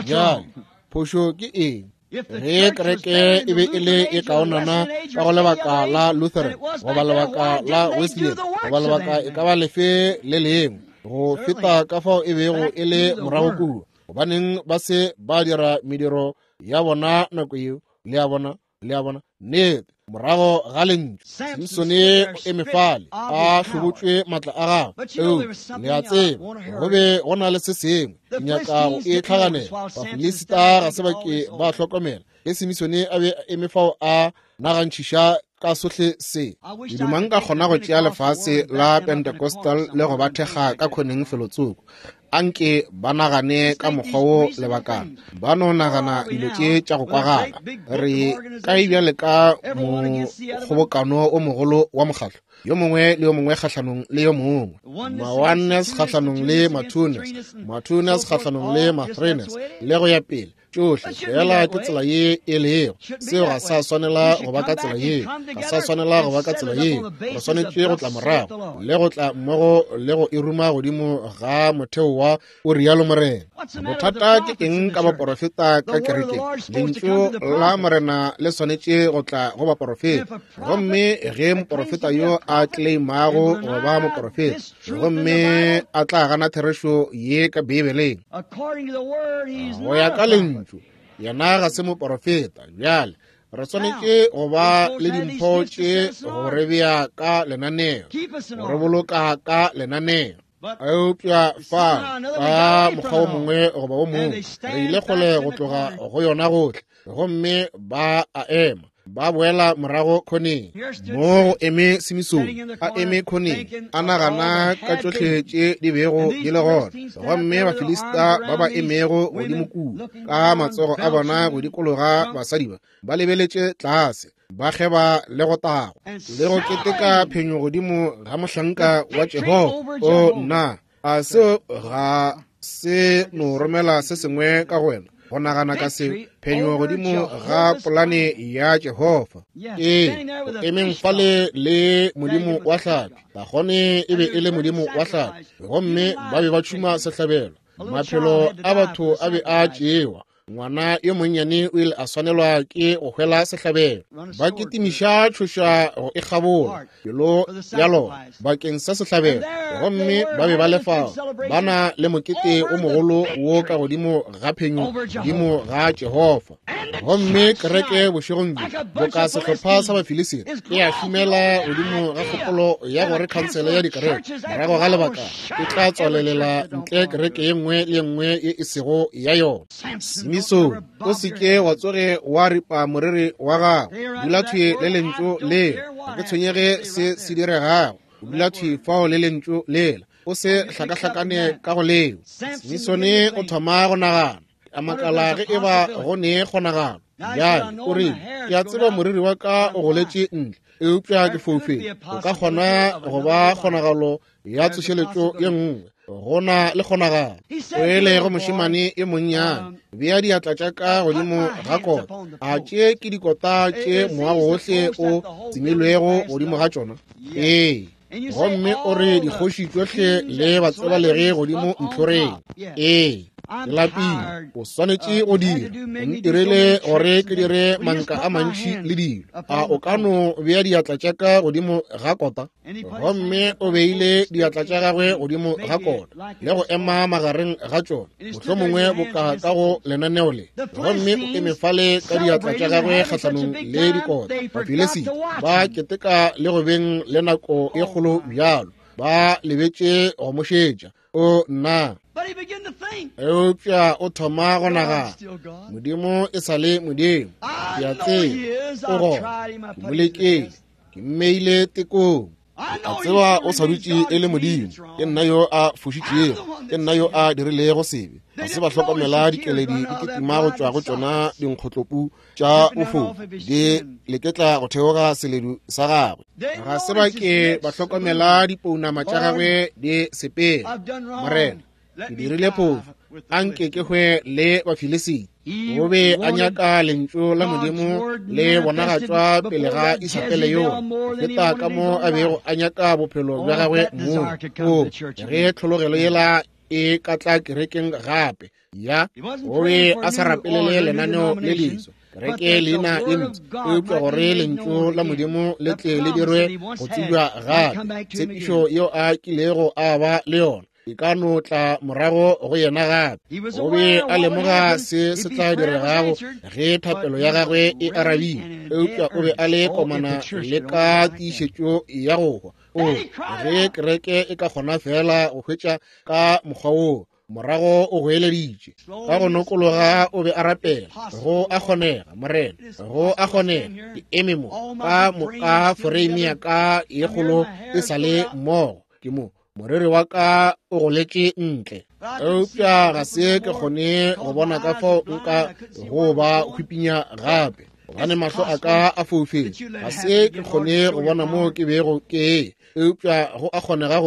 Bjale, phošo ke eng? Ge kereke e be e le e kaonana ka go lebaka la Lutheran goba lebaka la Wesleyan goba lebaka e ka ba lefe le lengwe go feta ka fao e bego e le morago kua, gobaneng ba se ba dira mediro ya bona nako yeo? Le a bona? Le a bona? Nnete, morago ga lentšu, Simsone o eme fale a hlobotšwe maatla a gagwe. Eupša le a tseba, go be go na le se sengwe ke nyaka go e tlhaganela. Bafilisita ga se ba ke ba hlokomela ge Simisone a be a eme fao a nagantšhiša ka sohle se. Ke duma nka kgona go tšea lefase la Pentecostal le go ba thekga ka khoneng felotsoko. Anke ba nagane ka mokgwa wo lebakana, ba no nagana dilo tše tša go kwagala. Re kae bjale ka mokgobokano o mogolo wa mokgatlo, yo mongwe le yo mongwe kgahlanong le yo mongwe, ma-oneness kgahlanong le ma-twoness, ma-twoness kgahlanong le ma-threeness, le go ya pele. Tšohle fela ke tsela ye e lego. Seo ga sa swanela go ba ka tsela ye, ga sa swanela go ba ka tsela ye. Re swanetše go tla morago le go tla mmogo le go e ruma godimo ga motheo wa o rialo Morena. Bothata ke eng ka baporofeta ka kerekeng? Lentšu la Morena le swanetše go tla go baporofeta. Gomme ge moporofeta yo a claimago go ba moporofeta gomme a tla gana therešo ye ka Beibeleng, go ya ka lentšu, yena ga se moporofeta. Bjale re swanetše go ba le dimpho tše go re bea ka lenaneo, go re boloka ka lenaneo. Eupša fa ka mokgwa wo mongwe goba wo mongwe re ile kgole go tloga go yona gohle, gomme ba a ema ba boela morago khoneng. Mo go eme Simisone a eme khoneng a nagana ka tšohle tše di bego di le gona, gomme Bafilista ba ba emego godimo kua ka matsogo a bona go dikologa basadi ba, ba lebeletše tlase, ba kgeba le go tagwa le go keteka phenyo godimo ga mohlanka wa Jehofa. O nna, a seo ga se no romela se sengwe ka go wena go nagana ka se phenyo godimo ga polane ya Jehofa? Ee, go emeng fale le modimo wa hlapi, Dagone e be e le modimo wa hlapi, gomme ba be ba tšhuma sehlabelo. Maphelo a batho a be a tšewa. Ngwana yo monnyane o ile a swanelwa ke go hwela sehlabelo. Ba kitimiša tšhoša go e kgabola pelo ya lona bakeng sa sehlabelo, gomme ba be ba le fao ba na le mokete o mogolo wo ka godimo ga phenyo godimo ga Jehofa. Gomme kereke bošegong bjo, boka sehlopha sa Bafilisita, e a šomela godimo ga kgopolo ya gore khansele ya dikereke morago ga lebaka e tla tswalelela ntle kereke ye nngwe le ye nngwe ye e sego ya yona. Simisone, o se ke wa tsoge wa ripa moriri wa gago. Dula thwi le lentšu lela. Ga ke tshwenyege se se diregago. Dula thwi fao le lentšu lela. O se hlakahlakane ka go leo. Simisone o thoma go nagana. A makala ge e ba go ne kgonagalo. Bjale o rile, ke a tseba moriri wa ka o goletše ntle, eupša ke foufetše. O ka kgona go ba kgonagalo ya tsošeletšo ye nngwe. Go na le kgonagalo. O ele go mošemane e monnyane, bea diatla tša ka godimo ga kota. A tše ke dikota tše moago wohle o tsemilwego godimo ga tšona? Ee. Gomme o re dikgoši tšohle le batsebalegi godimo ntlhoreng. Ee. Ke lapile. O swanetše go dira. O ntirele gore ke dire manka a mantši le dilo. A o ka no bea diatla tša ka godimo ga kota? Gomme o beile diatla tša gagwe godimo ga kota le go ema magareng ga tšona, mohlomongwe boka ka go lenaneo le. Gomme o eme fale ka diatla tša gagwe kgahlanong le dikota. Bafilisita ba keteka le go beng le nako e kgolo bjalo, ba lebetše go mo šetša. O nna, eupša o thoma go nagana, Modimo e sa le Modimo. Ke a tseba o gona. Ke mo lekile, ke mmeile tekong.
A tseba o sa dutše e le Modimo. Ke nna yo a fošitšego, ke nna yo a dirilego sebe. Ga se ba hlokomela dikeledi di kitima go tšwa go tšona dinkgotlopu tša bofofu di leketla go theoga seledu sa gagwe.
Ga se ba ke ba hlokomela dipounama tša gagwe di sepela. Morena, ke dirile phofu, a nke ke hwe le Bafilisiti. O be a nyaka lentšu la Modimo le bonagatšwa pele ga Isabele yo go feta ka mo a bego a nyaka bophelo bja gagwe mong. O ge tlhologelo yela e ka tla kerekeng gape, ya o be a sa rapelele lenaneo le leswa, kereke leina ye ntsi, eupša gore lentšu la Modimo le tle le dirwe go tsebja gape, tshepišo yeo a kilego a ba le yona e ka no tla morago go yena gape. O be a lemoga se se tla diregago ge thapelo ya gagwe e arabile, eupša o be a le komana le ka tiišetšo ya go hwa. O ge kereke e ka kgona fela go hwetša ka mokgwa woo, morago o goeleditše ka go nokologa, o be a rapela, go a kgonega Morena, go a kgonega, ke eme mo ka moka foreime ya ka ye kgolo e sa le mmogo, ke mo moriri wa ka o goletše ntle, eupša ga se ke kgone go bona ka fao nka go ba hwipinya gape, gobane mahlo a ka a foufetše. Ga se ke kgone go bona mo ke bego ke, eupša go a kgonega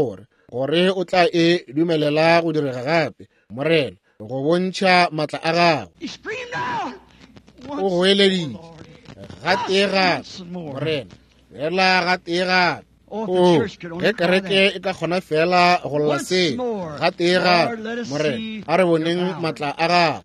gore o tla e dumelela go direga gape, Morena, go bontšha matla a gago. O goeleditše gatee gape, Morena, fela gatee gape. O ge kereke e ka kgona fela go lla se gatee gape, Morena, a re boneng matla a gago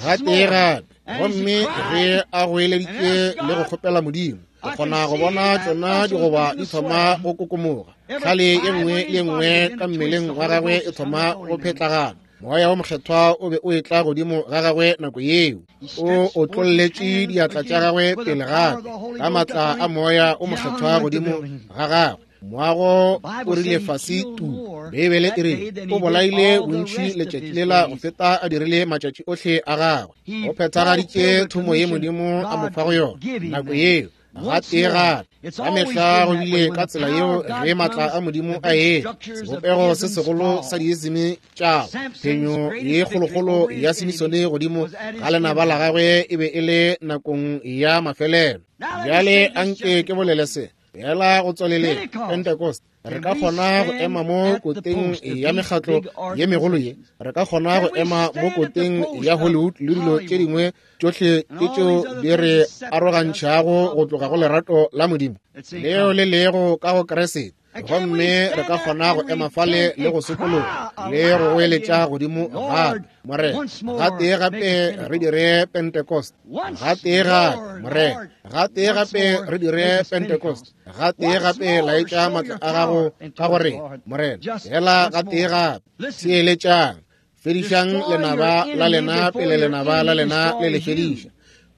gatee gape. Gomme ge a goeleditše le go kgopela Modimo, o kgona go bona tšona digoba di thoma go kokomoga, tlhale ye nngwe le ye nngwe ka mmeleng wa gagwe e thoma go phetlagana. Moya wa Mokgethwa o be o etla godimo ga gagwe nako yeo. O otlolletše diatla tša gagwe pele gape ka matla a Moya o Mokgethwa godimo ga gagwe. Moago o rile fase tu. Beibele e re o bolaile bontši letšatši lela go feta a dirile matšatši ohle a gagwe. O phethagaditše thomo ye Modimo a mo fago yona nako yeo. Gatee gape, ka mehla go bile ka tsela yeo ge matla a Modimo a etla, sebopego se segolo sa diisime tša phenyo ye kgolokgolo ya Simisone godimo ga lenaba la gagwe e be e le nakong ya mafelelo. Bjale anke ke bolele se fela go tswaleleng. Pentecost, re ka kgona go ema mo koteng ya mekgatlo ye megolo ye, re ka kgona go ema mo koteng ya Hollywood le dilo tše dingwe tšohle ke tšeo di re arogantšhago go tloga go lerato la Modimo leo le lego ka go Kriste. Gomme re ka kgona go ema fale le go sokologa le go goeletša godimo gape, Morena, gatee gape re dire Pentecost, gatee gape, Morena, gatee gape re dire Pentecost, gatee gape laetša matla a gago ka gore, Morena, fela gatee gape. Theeletšang, fedišang lenaba la lena pele lenaba la lena le le fediša.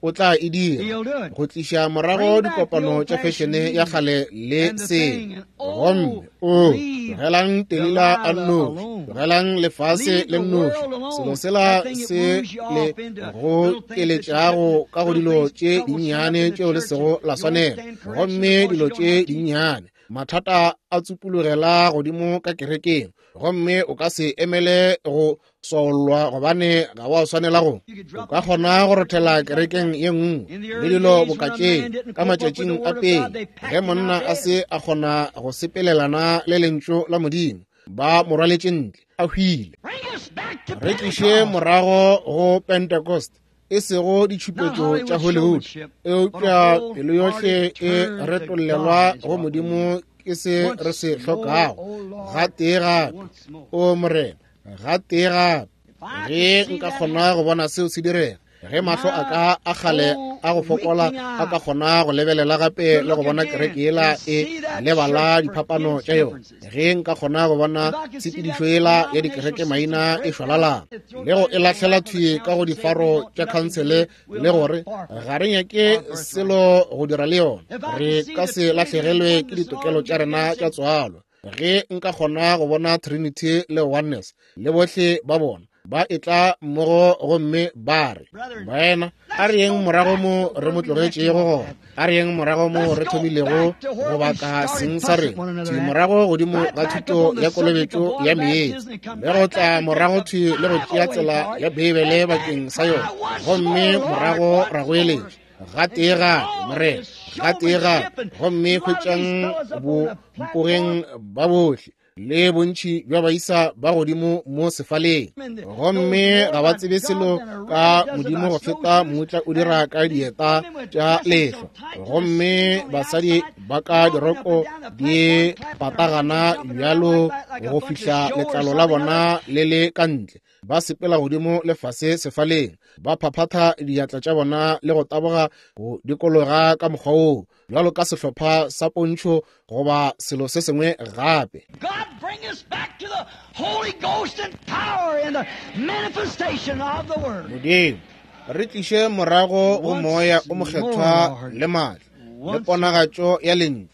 O tla e dira go tliša morago dikopano tša fešene ya kgale le se. Gomme o tlogelang Delila a nnoši, tlogelang lefase le nnoši, selo sela se le go keletšago ka go dilo tše dinnyane tšeo le sego la swanela. Gomme dilo tše dinnyane, mathata a tsupulogela godimo ka kerekeng, gomme o ka se emele go swaollwa gobane ga wa swanela go. O ka kgona go rothela kerekeng ye nngwe le dilo boka tše. Ka matšatšing a pele ge monna a se a kgona go sepelelana le lentšu la Modimo, ba mo rwaletše ntle a hwile. Re tliše morago go Pentecost, e sego ditšhupetšo tša Hollywood, eupša pelo yohle e retollelwa go Modimo ke se re se hlokago. Gatee gape, o Morena, gatee gape. Ge nka kgona go bona seo se direga, ge mahlo a ka a kgale a go fokola a ka kgona go lebelela gape le go bona kereke yela e lebala diphapano tša yona, ge nka kgona go bona tshepedišo yela ya dikereke maina e šwalalana le go e lahlela thwi ka go difaro tša khansele le gore ga re nyake selo go dira le yona, re ka se lahlegelwe ke ditokelo tša rena tša tswalo. Ge nka kgona go bona Trinity le Oneness le bohle ba bona Ba etla mmogo gomme ba re, Baena, a re yeng morago mo re mo tlogetšego gona. A re yeng morago mo re thomilego go baka seng sa rena, thwi morago godimo ga thuto ya kolobetšo ya meetse, le go tla morago thwi le go tšea tsela ya Beibele bakeng sa yona, gomme morago ra goeletša, Gatee gape, Morena, gatee gape, gomme hwetšang bompogeng ba bohle le bontši bja baisa ba godimo mo sefaleng, gomme ga ba tsebe selo ka Modimo go feta mmutla o dira ka dieta tša lehlwa, gomme basadi ba ka diroko di patagana bjalo go fihla letlalo la bona le le ka ntle, ba sepela godimo le fase sefaleng, ba phaphatha diatla tša bona le go taboga go dikologa ka mokgwa woo, bjalo ka sehlopha sa pontšho goba selo se sengwe gape.
God bring us back to the Holy Ghost and power and the manifestation of the Word.
Modimo, re tliše morago go Moya o Mokgethwa le maatla le ponagatšo ya Lentšu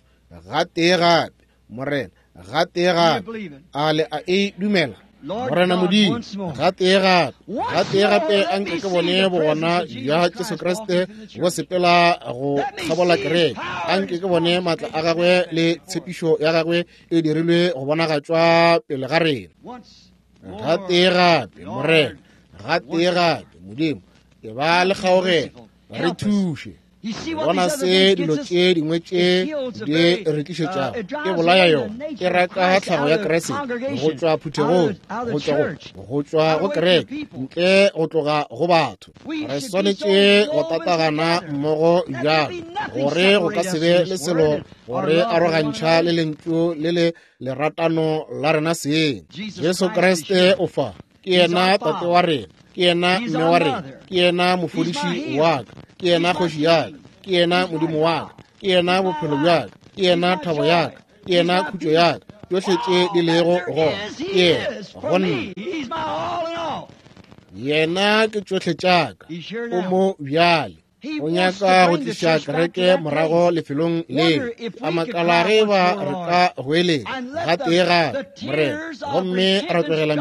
gatee gape, Morena, gatee gape. A le a e dumela? Morena Modimo, gatee gape, gatee gape a nke ke bone bogona bja Jesu Kriste bo sepela go kgabola kereke. A nke ke bone maatla a gagwe le tshepišo ya gagwe e dirilwe go bonagatšwa pele ga rena. Gatee gape, Morena, gatee gape, Modimo, e ba le kgaogelo, re thuše. Bona se dilo tše dingwe tše di re tlišetšago, e bolaya yona, e raka tlhago ya Kriste go tšwa phuthegong, go tšwa go kereke, ntle go tloga go batho. Re swanetše go tatagana mmogo bjalo gore go ka se be le selo go re arogantšha le lentšu le le leratano la rena seng. Jesu Kriste o fa. Ke yena Tate wa rena, ke yena Mme wa rena, ke yena mofodiši wa ka, ke yena kgoši ya ka, ke yena Modimo wa ka, ke yena bophelo bja ka, ke yena thabo ya ka, ke yena khutšo ya ka. Tšohle tše di lego gona ke yena go nna. Yena ke tšohle tša ka. O mo bjale. O nyaka go tliša kereke morago lefelong leo. A makala ge ba re ka goeletša gatee gape, Morena, gomme ra tlogela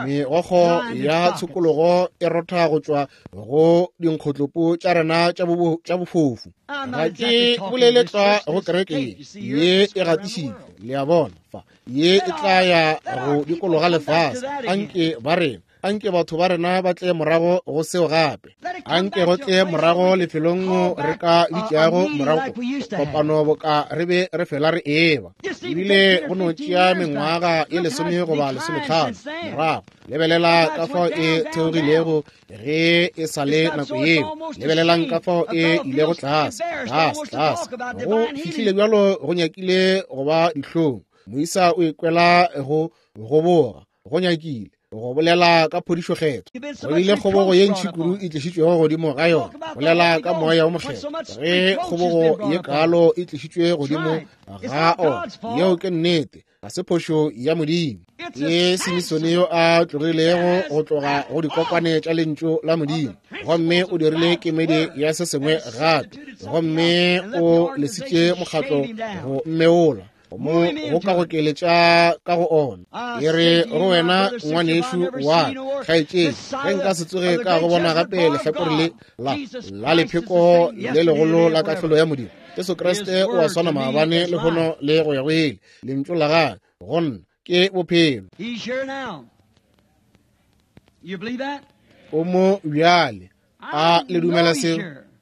megokgo ya tshokologo e rotha go tšwa go dinkgotlopo tša rena tša bofofu. Ga ke bolele tlwa go kereke ye, ye e gatišitšwe, le a bona, fa ye e tla ya go dikologa lefase. Anke ba rena, anke batho ba rena ba tle morago go seo gape. Anke go tle morago lefelong re ka bitšago morago kopano boka re be re fela re eba. Ebile go no tšea mengwaga e 10 goba 15 morago. Lebelela ka fao e theogilego ge e sa le nako yeo. Lebelelang ka fao e ilego tlase, tlase, tlase. Go fihlile bjalo go nyakile go ba dihlong. Moisa o ikwela go goboga, go nyakile go bolela ka phodišo kgetho. Go bile kgobogo ye ntši kudu e tlišitšwego godimo ga yona. Bolela ka Moya o Mokgethwa, ge kgobogo ye kaalo e tlišitšwe godimo ga ona, yeo ke nnete, ga se phošo ya Modimo. Ke Simisone yo a tlogilego go tloga go dikokwane tša lentšu la Modimo, gomme o dirile kemedi ya se sengwe gape, gomme o lesitše mokgatlo go mmeola mo go ka go keletša ka go ona. E re go wena ngwanešu wa kgaetšedi, ge nka se tsoge ka go bona gape lehlakore le la lepheko le legolo la kahlolo ya Modimo, Jesu Kriste o a swana maabane lehono le go ya go ile. Lentšu la gagwe go nna ke bophelo. O mo bjale. A le dumela seo?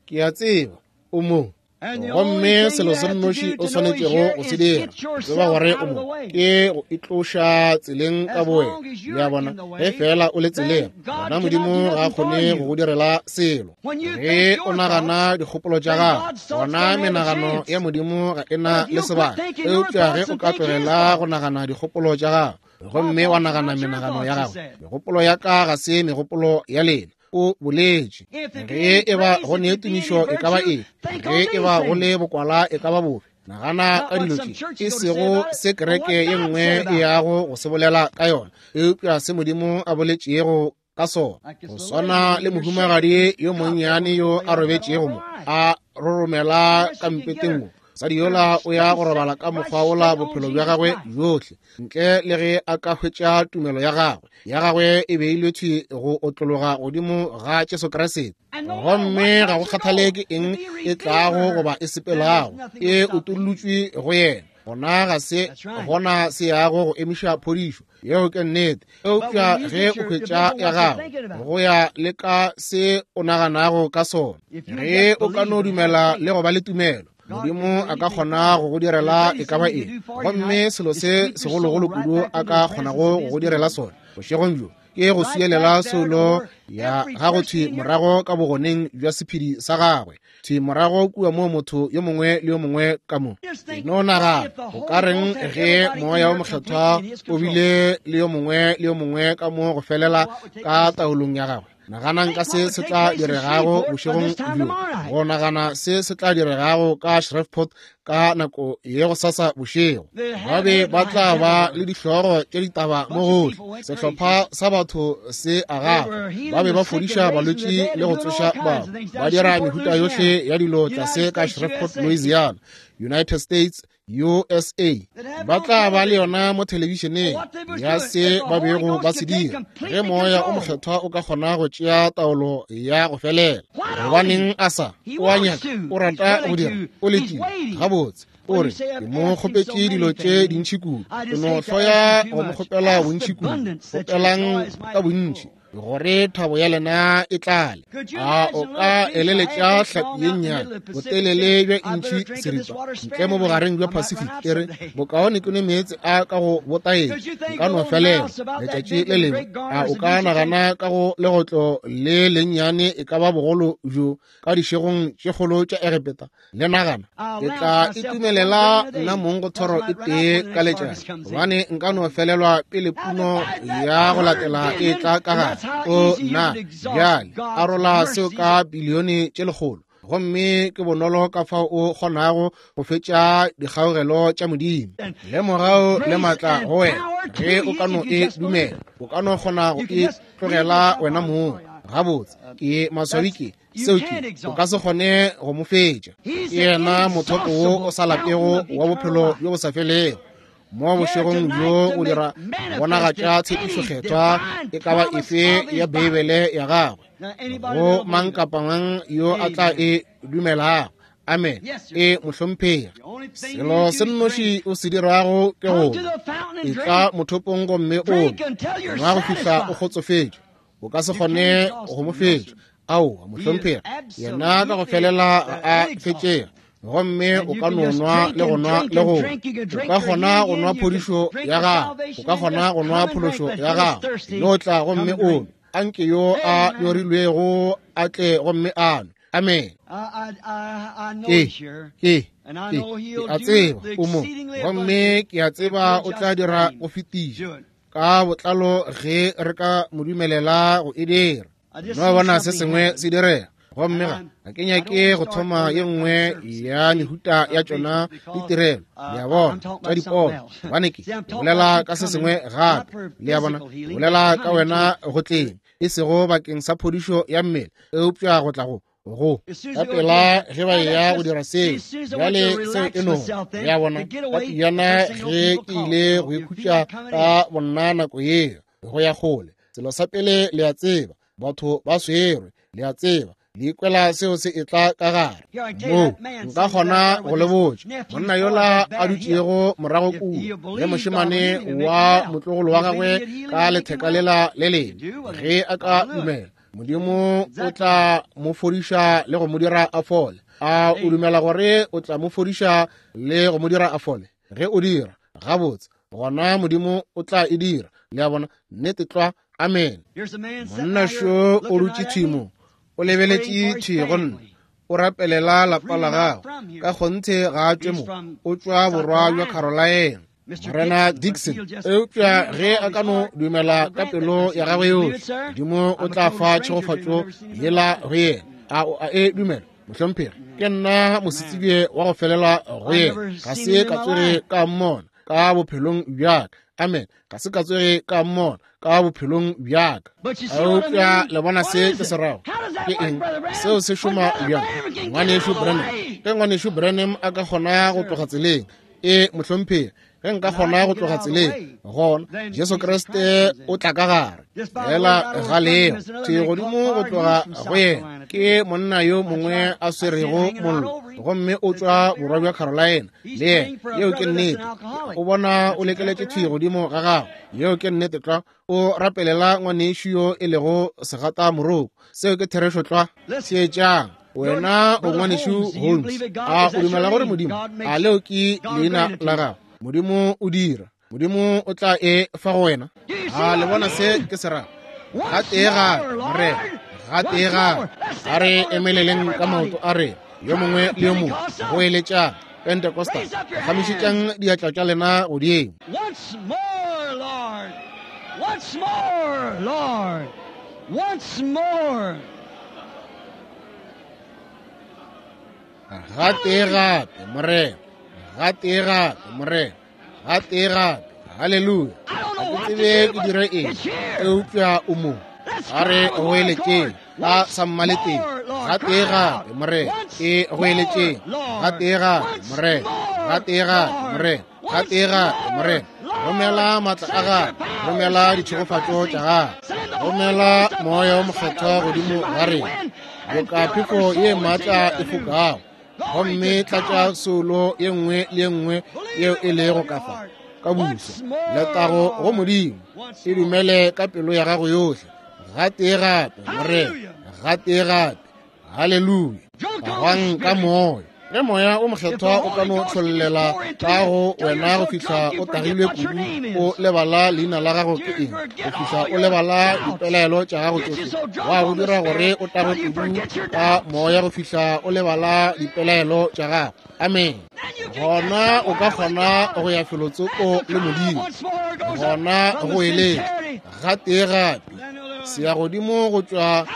Ke a tseba o mo. Gomme selo se nnoši o swanetšego go se dira, tseba gore o mo, ke go itloša tseleng ka bowena. Le a bona, ge fela o le tseleng, gona Modimo ga a kgone go go direla selo. Ge o nagana dikgopolo tša gago, gona menagano ya Modimo ga e na le sebaka. Eupša ge o ka tlogela go nagana dikgopolo tša gago, gomme wa nagana menagano ya gago, megopolo ya ka ga se megopolo ya lena, o boletše. Ge e ba go ne tumišo e ka ba eng, ge e ba go le bokwala e ka ba bofe, nagana ka dilo tše, e sego se kereke ye nngwe e yago go se bolela ka yona, eupša se Modimo a boletšego ka sona. Go swana le mohumagadi yo monnyane yo a robetšego mo, a roromela ka mpeteng mo. Mosadi yola o ya go robala ka mokgwa wola bophelo bja gagwe bjohle, ntle le ge a ka hwetša tumelo ya gagwe. Ya gagwe e beilwe thwi go otlologa godimo ga Jesu Kriste. Gomme ga go kgathale ke eng e tlago goba e sepelago, e utollotšwe go yena. Gona ga se gona se yago go emiša phodišo. Yeo ke nnete. Eupša ge o hwetša ya gago, go ya le ka se o naganago ka sona, ge o ka no dumela le go ba le tumelo, Modimo a ka kgona go go direla e ka ba eng. Gomme selo se segologolo kudu a ka kgonago go go direla sona bošegong bjo ke go swielela soulo ya gago thwi morago ka bogoneng bja sephedi sa gagwe, thwi morago kua moo motho yo mongwe le yo mongwe ka mo. E no nagana, go ka reng ge Moya wo Mokgethwa o bile le yo mongwe le yo mongwe ka mo go felela ka taolong ya gagwe? Naganang ka se se tla diregago bošegong bjo, go nagana se se tla diregago ka Shreveport ka nako ye go sasa bošego. Ba be ba tla ba le dihlogo tše ditaba mo gohle. Sehlopha sa batho se a gafa. Ba be ba fodiša balwetši le go tsoša batho. Ba dira mehuta yohle ya dilo tlase ka Shreveport, Louisiana, United States, USA. Ba tla ba le yona mo thelebišeneng ya se ba bego ba se dira. Ge Moya o Mokgethwa o ka kgona go tšea taolo ya go felela, gobaneng a sa? O a nyaka, o rata go dira, o letile. Gabotse, o re, ke mo kgopetše dilo tše dintši kudu, ke no hloya go mo kgopela bontši kudu. Kgopelang ka bontši gore thabo ya lena e tlale. A o ka eleletša hlapi ye nnyane botelele bja intšhi seripa ntle mo bogareng bja Pacific, e re, bokaone ke nwe meetse a ka go botaetša, nka no felela letšatši le lengwe? A o ka nagana ka go legotlo le lennyane e ka ba bogolo bjo ka dišegong tše kgolo tša Egepeta? Le nagana, ke tla itumelela nna mong go thoro e tee ka letšatši, gobane nka no felelwa pele puno ya go latela e tla ka gare. O nna bjale arola seo ka bilione tše lekgolo, gomme ke bonolo ka fao o kgonago go fetša dikgaogelo tša Modimo le mogau le maatla go wena. Ge o ka no e dumela, o ka no kgona go e tlogela wena mong. Gabotse, ke maswabi ke seo ke, o ka se kgone go mo fetša. Ke yena mothopo wo o sa lapego wa bophelo bjo bo sa felego. Mo bošegong bjo o dira bonagatša tshepišo kgethwa e ka ba efe ya Beibele ya gagwe go mang kapa mang yo a tla e dumelago. Amen. E mohlomphegi, selo se nnoši o se dirago ke go etla mothopong gomme o nwa go fihla o kgotsofetše. O ka se kgone go mo fetša. Aowa, mohlomphegi, yena ka go felela ga a fetšega. Gomme o ka no nwa le go nwa le go nwa. O ka kgona go nwa phodišo ya gago, o ka kgona go nwa phološo ya gago. No tla gomme o nwe. Anke yo a nyorilwego a tle gomme a nwe. Amen. Ke, ke, ke, ke a tseba o mo, gomme ke a tseba o tla dira go fetiša ka botlalo ge re ka mo dumelela go e dira. No bona se sengwe se direga. Gomme ga ke nyake go thoma ye nngwe ya mehuta ya tšona ditirelo, le a bona, tša dipono, gobane ke bolela ka se sengwe gape, le a bona, ke bolela ka wena go tleng, e sego bakeng sa phodišo ya mmele, eupša go tla go go ka pela ge ba eya go dira seo. Bjale seo e no, le a bona, ka pejana ge ke ile go ikhutša ka bonna nako yeo, go ya kgole, selo sa pele le a tseba, batho ba swerwe, le a tseba, le ikwela seo se etla ka gare moo. Nka kgona go le botša, monna yola a dutšego morago kua le mošemane wa motlogolo wa gagwe ka letheka lela le lengwe, ge a ka dumela, Modimo o tla mo fodiša le go mo dira a fole. A o dumela gore o tla mo fodiša le go mo dira a fole? Ge o dira, gabotse, gona Modimo o tla e dira. Le a bona? Nnete tlwa. Amen. Monna šo o dutše thwi mo, o lebeletše thwi go nna, o rapelela lapa la gagwe. Ka kgonthe ga a tšwe mo, o tšwa borwa bja Carolina, Morena Dixon. Eupša ge a ka no dumela ka pelo ya gagwe yohle, Modimo o tla fa tšhegofatšo yela go yena. A o a e dumela, mohlomphegi? Ke nna mosetsebje wa go felela go yena. Ga se ka tsoge ka mmona ka bophelong bja ka. Amen. Ga se ka tsoge ka mmona ka bophelong bja ka. Eupša le bona se ke se rago? Ke eng seo se šoma bjang, Ngwanešu Branham? Ge Ngwanešu Branham a ka kgona go tloga tseleng, e mohlomphegi, ge nka kgona go tloga tseleng, gona Jesu Kriste o tla ka gare. Fela ga leo thwi godimo go tloga go yena ke monna yo mongwe a swerego mollo, gomme o tšwa borwa bja Carolina le yena. Yeo ke nnete. O bona o lekeletše thwi godimo ga gago. Yeo ke nnete tlwa. O rapelela ngwanešu yo e lego segata moroko. Seo ke therešo tlwa. Theetšang. Wena o ngwanešu Holmes. A o dumela gore Modimo, a leo ke leina la gago? Modimo o dira. Modimo o tla e fa go wena. A le bona se ke se rago? Gatee gape, Morena, gatee gape. A re emeleleng ka maoto a rena, yo mongwe le yo mongwe, go eletšang Pentecostal. Phagamišetšang diatla tša lena godimo.
Once more, Lord. Once more, Lord. Once more.
Gatee gape, Morena. Gatee gape, Morena. Gatee gape. Haleluya. Ga ke tsebe ke dire eng, eupša o mo. A re goeletšeng ka sammaleteng. Gatee gape, Morena. E goeletšeng. Gatee gape, Morena. Gatee gape, Morena. Gatee gape, Morena. Romela maatla a gago, romela ditšhegofatšo tša gago, romela moya o mokgethwa godimo ga rena, boka phefo ye maatla e fokago, gomme tlatša soulo ye nngwe le ye nngwe yeo e lego ka fa ka busa. Letago go Modimo. E dumele ka pelo ya gago yohle. Gatee gape, Morena. Gatee gape. Haleluya. Gwang ka moya. Ge moya o mokgethwa o ka no tlhollela ka go wena go fihla o tagilwe kudu o lebala leina la gago ke eng, go fihla o lebala dipelaelo tša gago tšohle, wa go dira gore o tagwe kudu ka moya go fihla o lebala dipelaelo tša gago. Amen. Gona o ka kgona go ya felotsoko le Modimo. Gona go eletša gatee gape se ya godimo go tšwa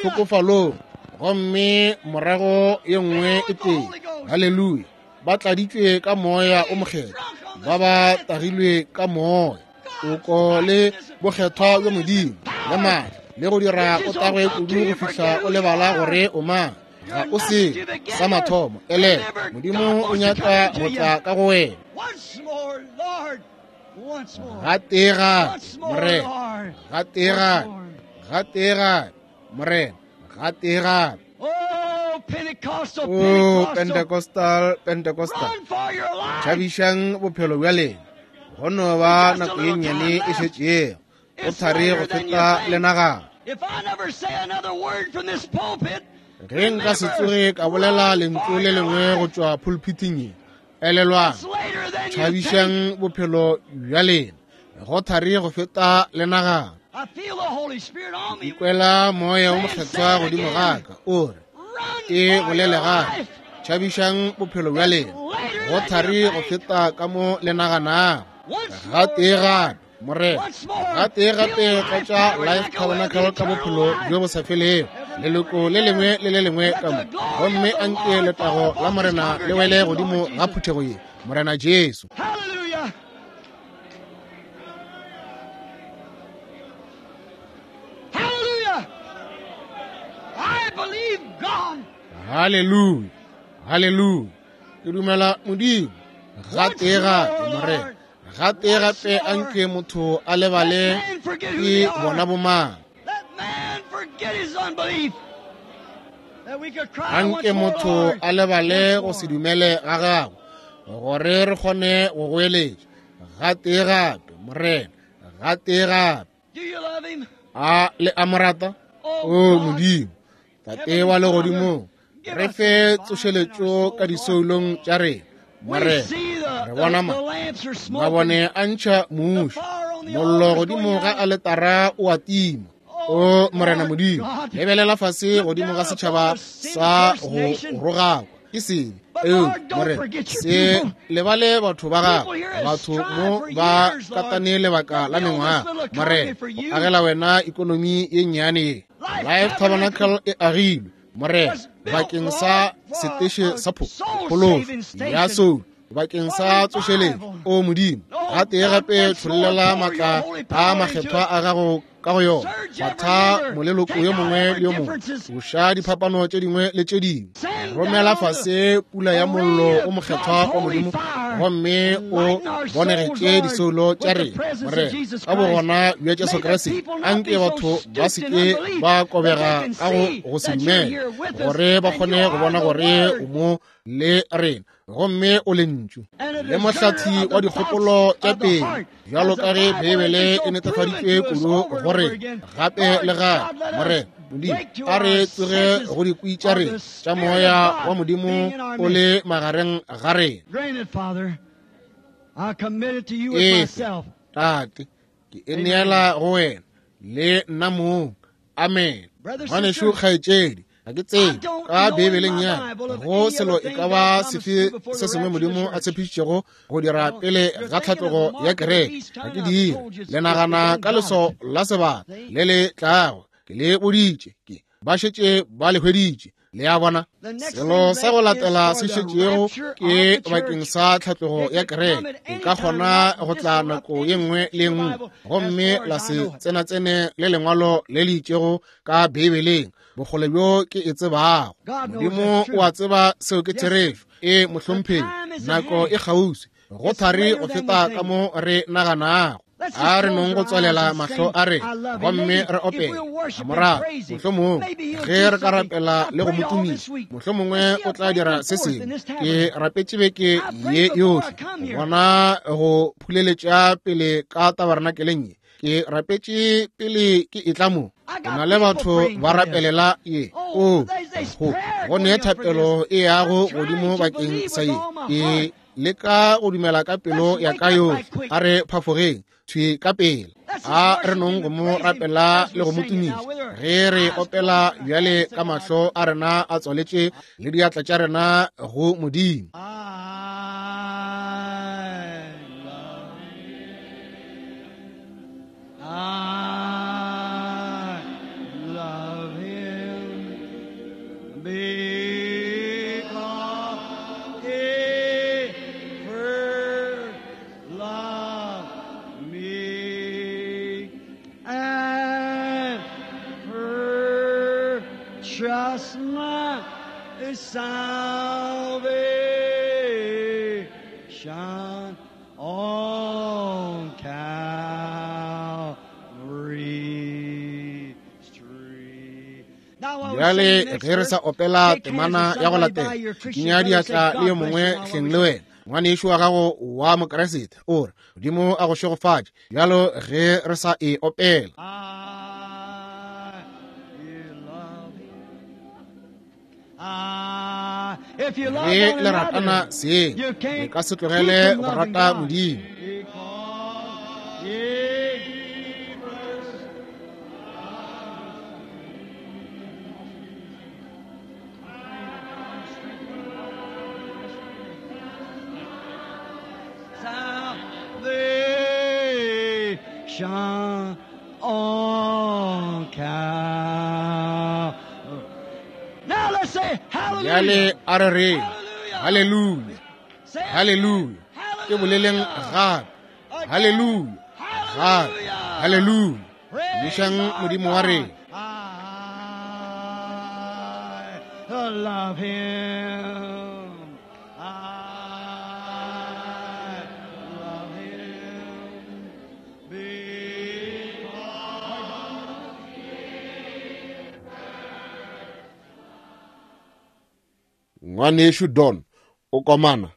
tlhokofalong, gomme morago ye nngwe e tee. Haleluya. Ba tladitšwe ka moya o mokgethwa, ba ba tagilwe ka moya, toko le bokgethwa bja Modimo le maatla, le go dira o tagwe kudu go fihla o lebala gore o mang. Ga o se sa mathomo. Ele Modimo o nyaka go tla ka go wena. Gatee gape, Morena. Gatee gape. Gatee gape, Morena. Gatee gape.
Oh, Pentecostal,
O
Pentecostal.
Pentecostal, Pentecostal.
Run for your life.
Tšhabišang bophelo bja lena. Go no ba nako ye nnyane e šetšego. Go thari go feta le nagana.
If I never say another word from this pulpit,
Ge nka se tsoge ka bolela lentšu le lengwe go tšwa pulpiting ye, elelwang,
it's later than you think.
tšhabišang bophelo bja lena. Go thari go feta le nagana.
I feel the Holy Spirit on me.
Ikwela moya o mokgethwa godimo ga ka, o re,
Run
e
for
bolele
your
gape.
life.
Tšhabišang bophelo bja lena. Go thari go feta ka mo le naganago.
Once more,
Gatee gape, Morena.
Once more,
Gatee gape
fill
tlatša
Life
Life
Tabernacle
Tabernacle ka bophelo bjo bo sa felego, leloko le lengwe le le lengwe ka mo. Gomme anke letago la Morena le wele godimo ga phuthego ye, Morena Jesu.
Hallelujah. Hallelujah. I believe God.
Haleluya. Haleluya. Ke dumela Modimo. Gatee gape, Morena. Gatee gape anke motho a lebale
Let man forget who they
ke
are.
bona bomang.
Let man forget his unbelief. That we could cry
Anke
once more,
motho
Lord.
a lebale
Once
go se
more.
dumele ga gago, gore re kgone go goeletša. Gatee gape, Morena. Gatee gape.
Do you love him?
A le a mo rata?
Oh,
O
God.
Modimo, Tate wa legodimong, re fe tsošeletšo ka disoulong tša rena.
We
Morena,
see
re
the,
bona
the,
ma
the lamps are smoking.
mabone a ntšha muši, mollo godimo ga aletara o a tima. O Morena Modimo, lebelela fase godimo ga setšhaba sa go rogakwa ke sebe. Eupša Morena, se lebale batho ba gago. Batho mo ba katane lebaka la mengwaga. Morena, go agela wena ikonomi ye nnyane ye. Life Tabernacle e agilwe, Morena, bakeng sa seteše sa phološo ya soulo, bakeng sa tsošeletšo. O Modimo, gatee gape tšhollela maatla a makgethwa a gago ka go yona. Batha moleloko yo mongwe le yo mongwe, tloša diphapano tše dingwe le tše dingwe. Romela fase pula ya mollo o mokgethwa wa Modimo gomme o bonegetše disoulo tša rena, Morena, ka bogona bja Jesu Kriste. Anke batho ba se ke ba kobega ka go se dumela, gore ba kgone go bona gore o mo le rena gomme o lentšu le mohlathi wa dikgopolo tša pele, bjalo ka ge Beibele e netefaditšwe kudu gore gape le gape. Morena Modimo, a re tsoge go dikwi tša rena tša moya wa Modimo o le magareng ga rena. Efe, Tate, ke e neela go wena le nna mong. Amen. Ngwanešu, kgaetšedi, ga ke tsebe ka Beibeleng ya go selo e ka ba sefe se sengwe Modimo a tshepišitšego go dira pele ga tlhatlogo ya kereke. Ga ke dire. Le nagana ka leso la sebaka le le tlago. Ke le boditše, ke ba šetše ba le hweditše. Le a bona? Selo sa go latela se šetšego ke bakeng sa tlhatlogo ya kereke. E ka kgona go tla nako ye nngwe le nngwe gomme la se tsenatsene le lengwalo le le itšego ka Beibeleng, bokgole bjo ke e tsebago. Modimo o a tseba seo ke therešo. E, mohlomphegi, nako e kgauswi, go thari go feta ka mo re naganago. A re nong go tswalela mahlo a re gomme re opele morago, mohlomongwe ge re ka rapela le go mo tumiša, mohlomongwe o tla dira se sengwe. Ke rapetše beke ye yohle go bona go phuleletša pele ka tabernakeleng ye. Ke rapetše pele ke etla mo. Ke na le batho ba rapelela ye. O, go ne thapelo e yago godimo bakeng sa ye. Ke leka go dumela ka pelo ya ka yohle. A re phafogeng thwi ka pele. A re nong go mo rapela le go mo tumiša ge re opela bjale ka mahlo a rena a tswaletše le diatla tša rena go Modimo.
I love him because he first loved me and purchased my salvation on Calvary's tree.
Bjale ge re sa opela temana ya go latela, kinya diatla le yo mongwe hleng le wena, ngwanešu wa gago wa Mokriste, o re, Modimo a go šegofatše. Bjalo ge re sa e opela. Ge le ratana seng, le ka se tlogele go rata Modimo.
Salvation on Calvary. Now let's say
Bjale
hallelujah.
a re reng haleluya, haleluya. Ke boleleng gape, haleluya, gape, haleluya. Tumišang Modimo wa rena.
I love him. I love him. Because
Ngwanešu Don o komana.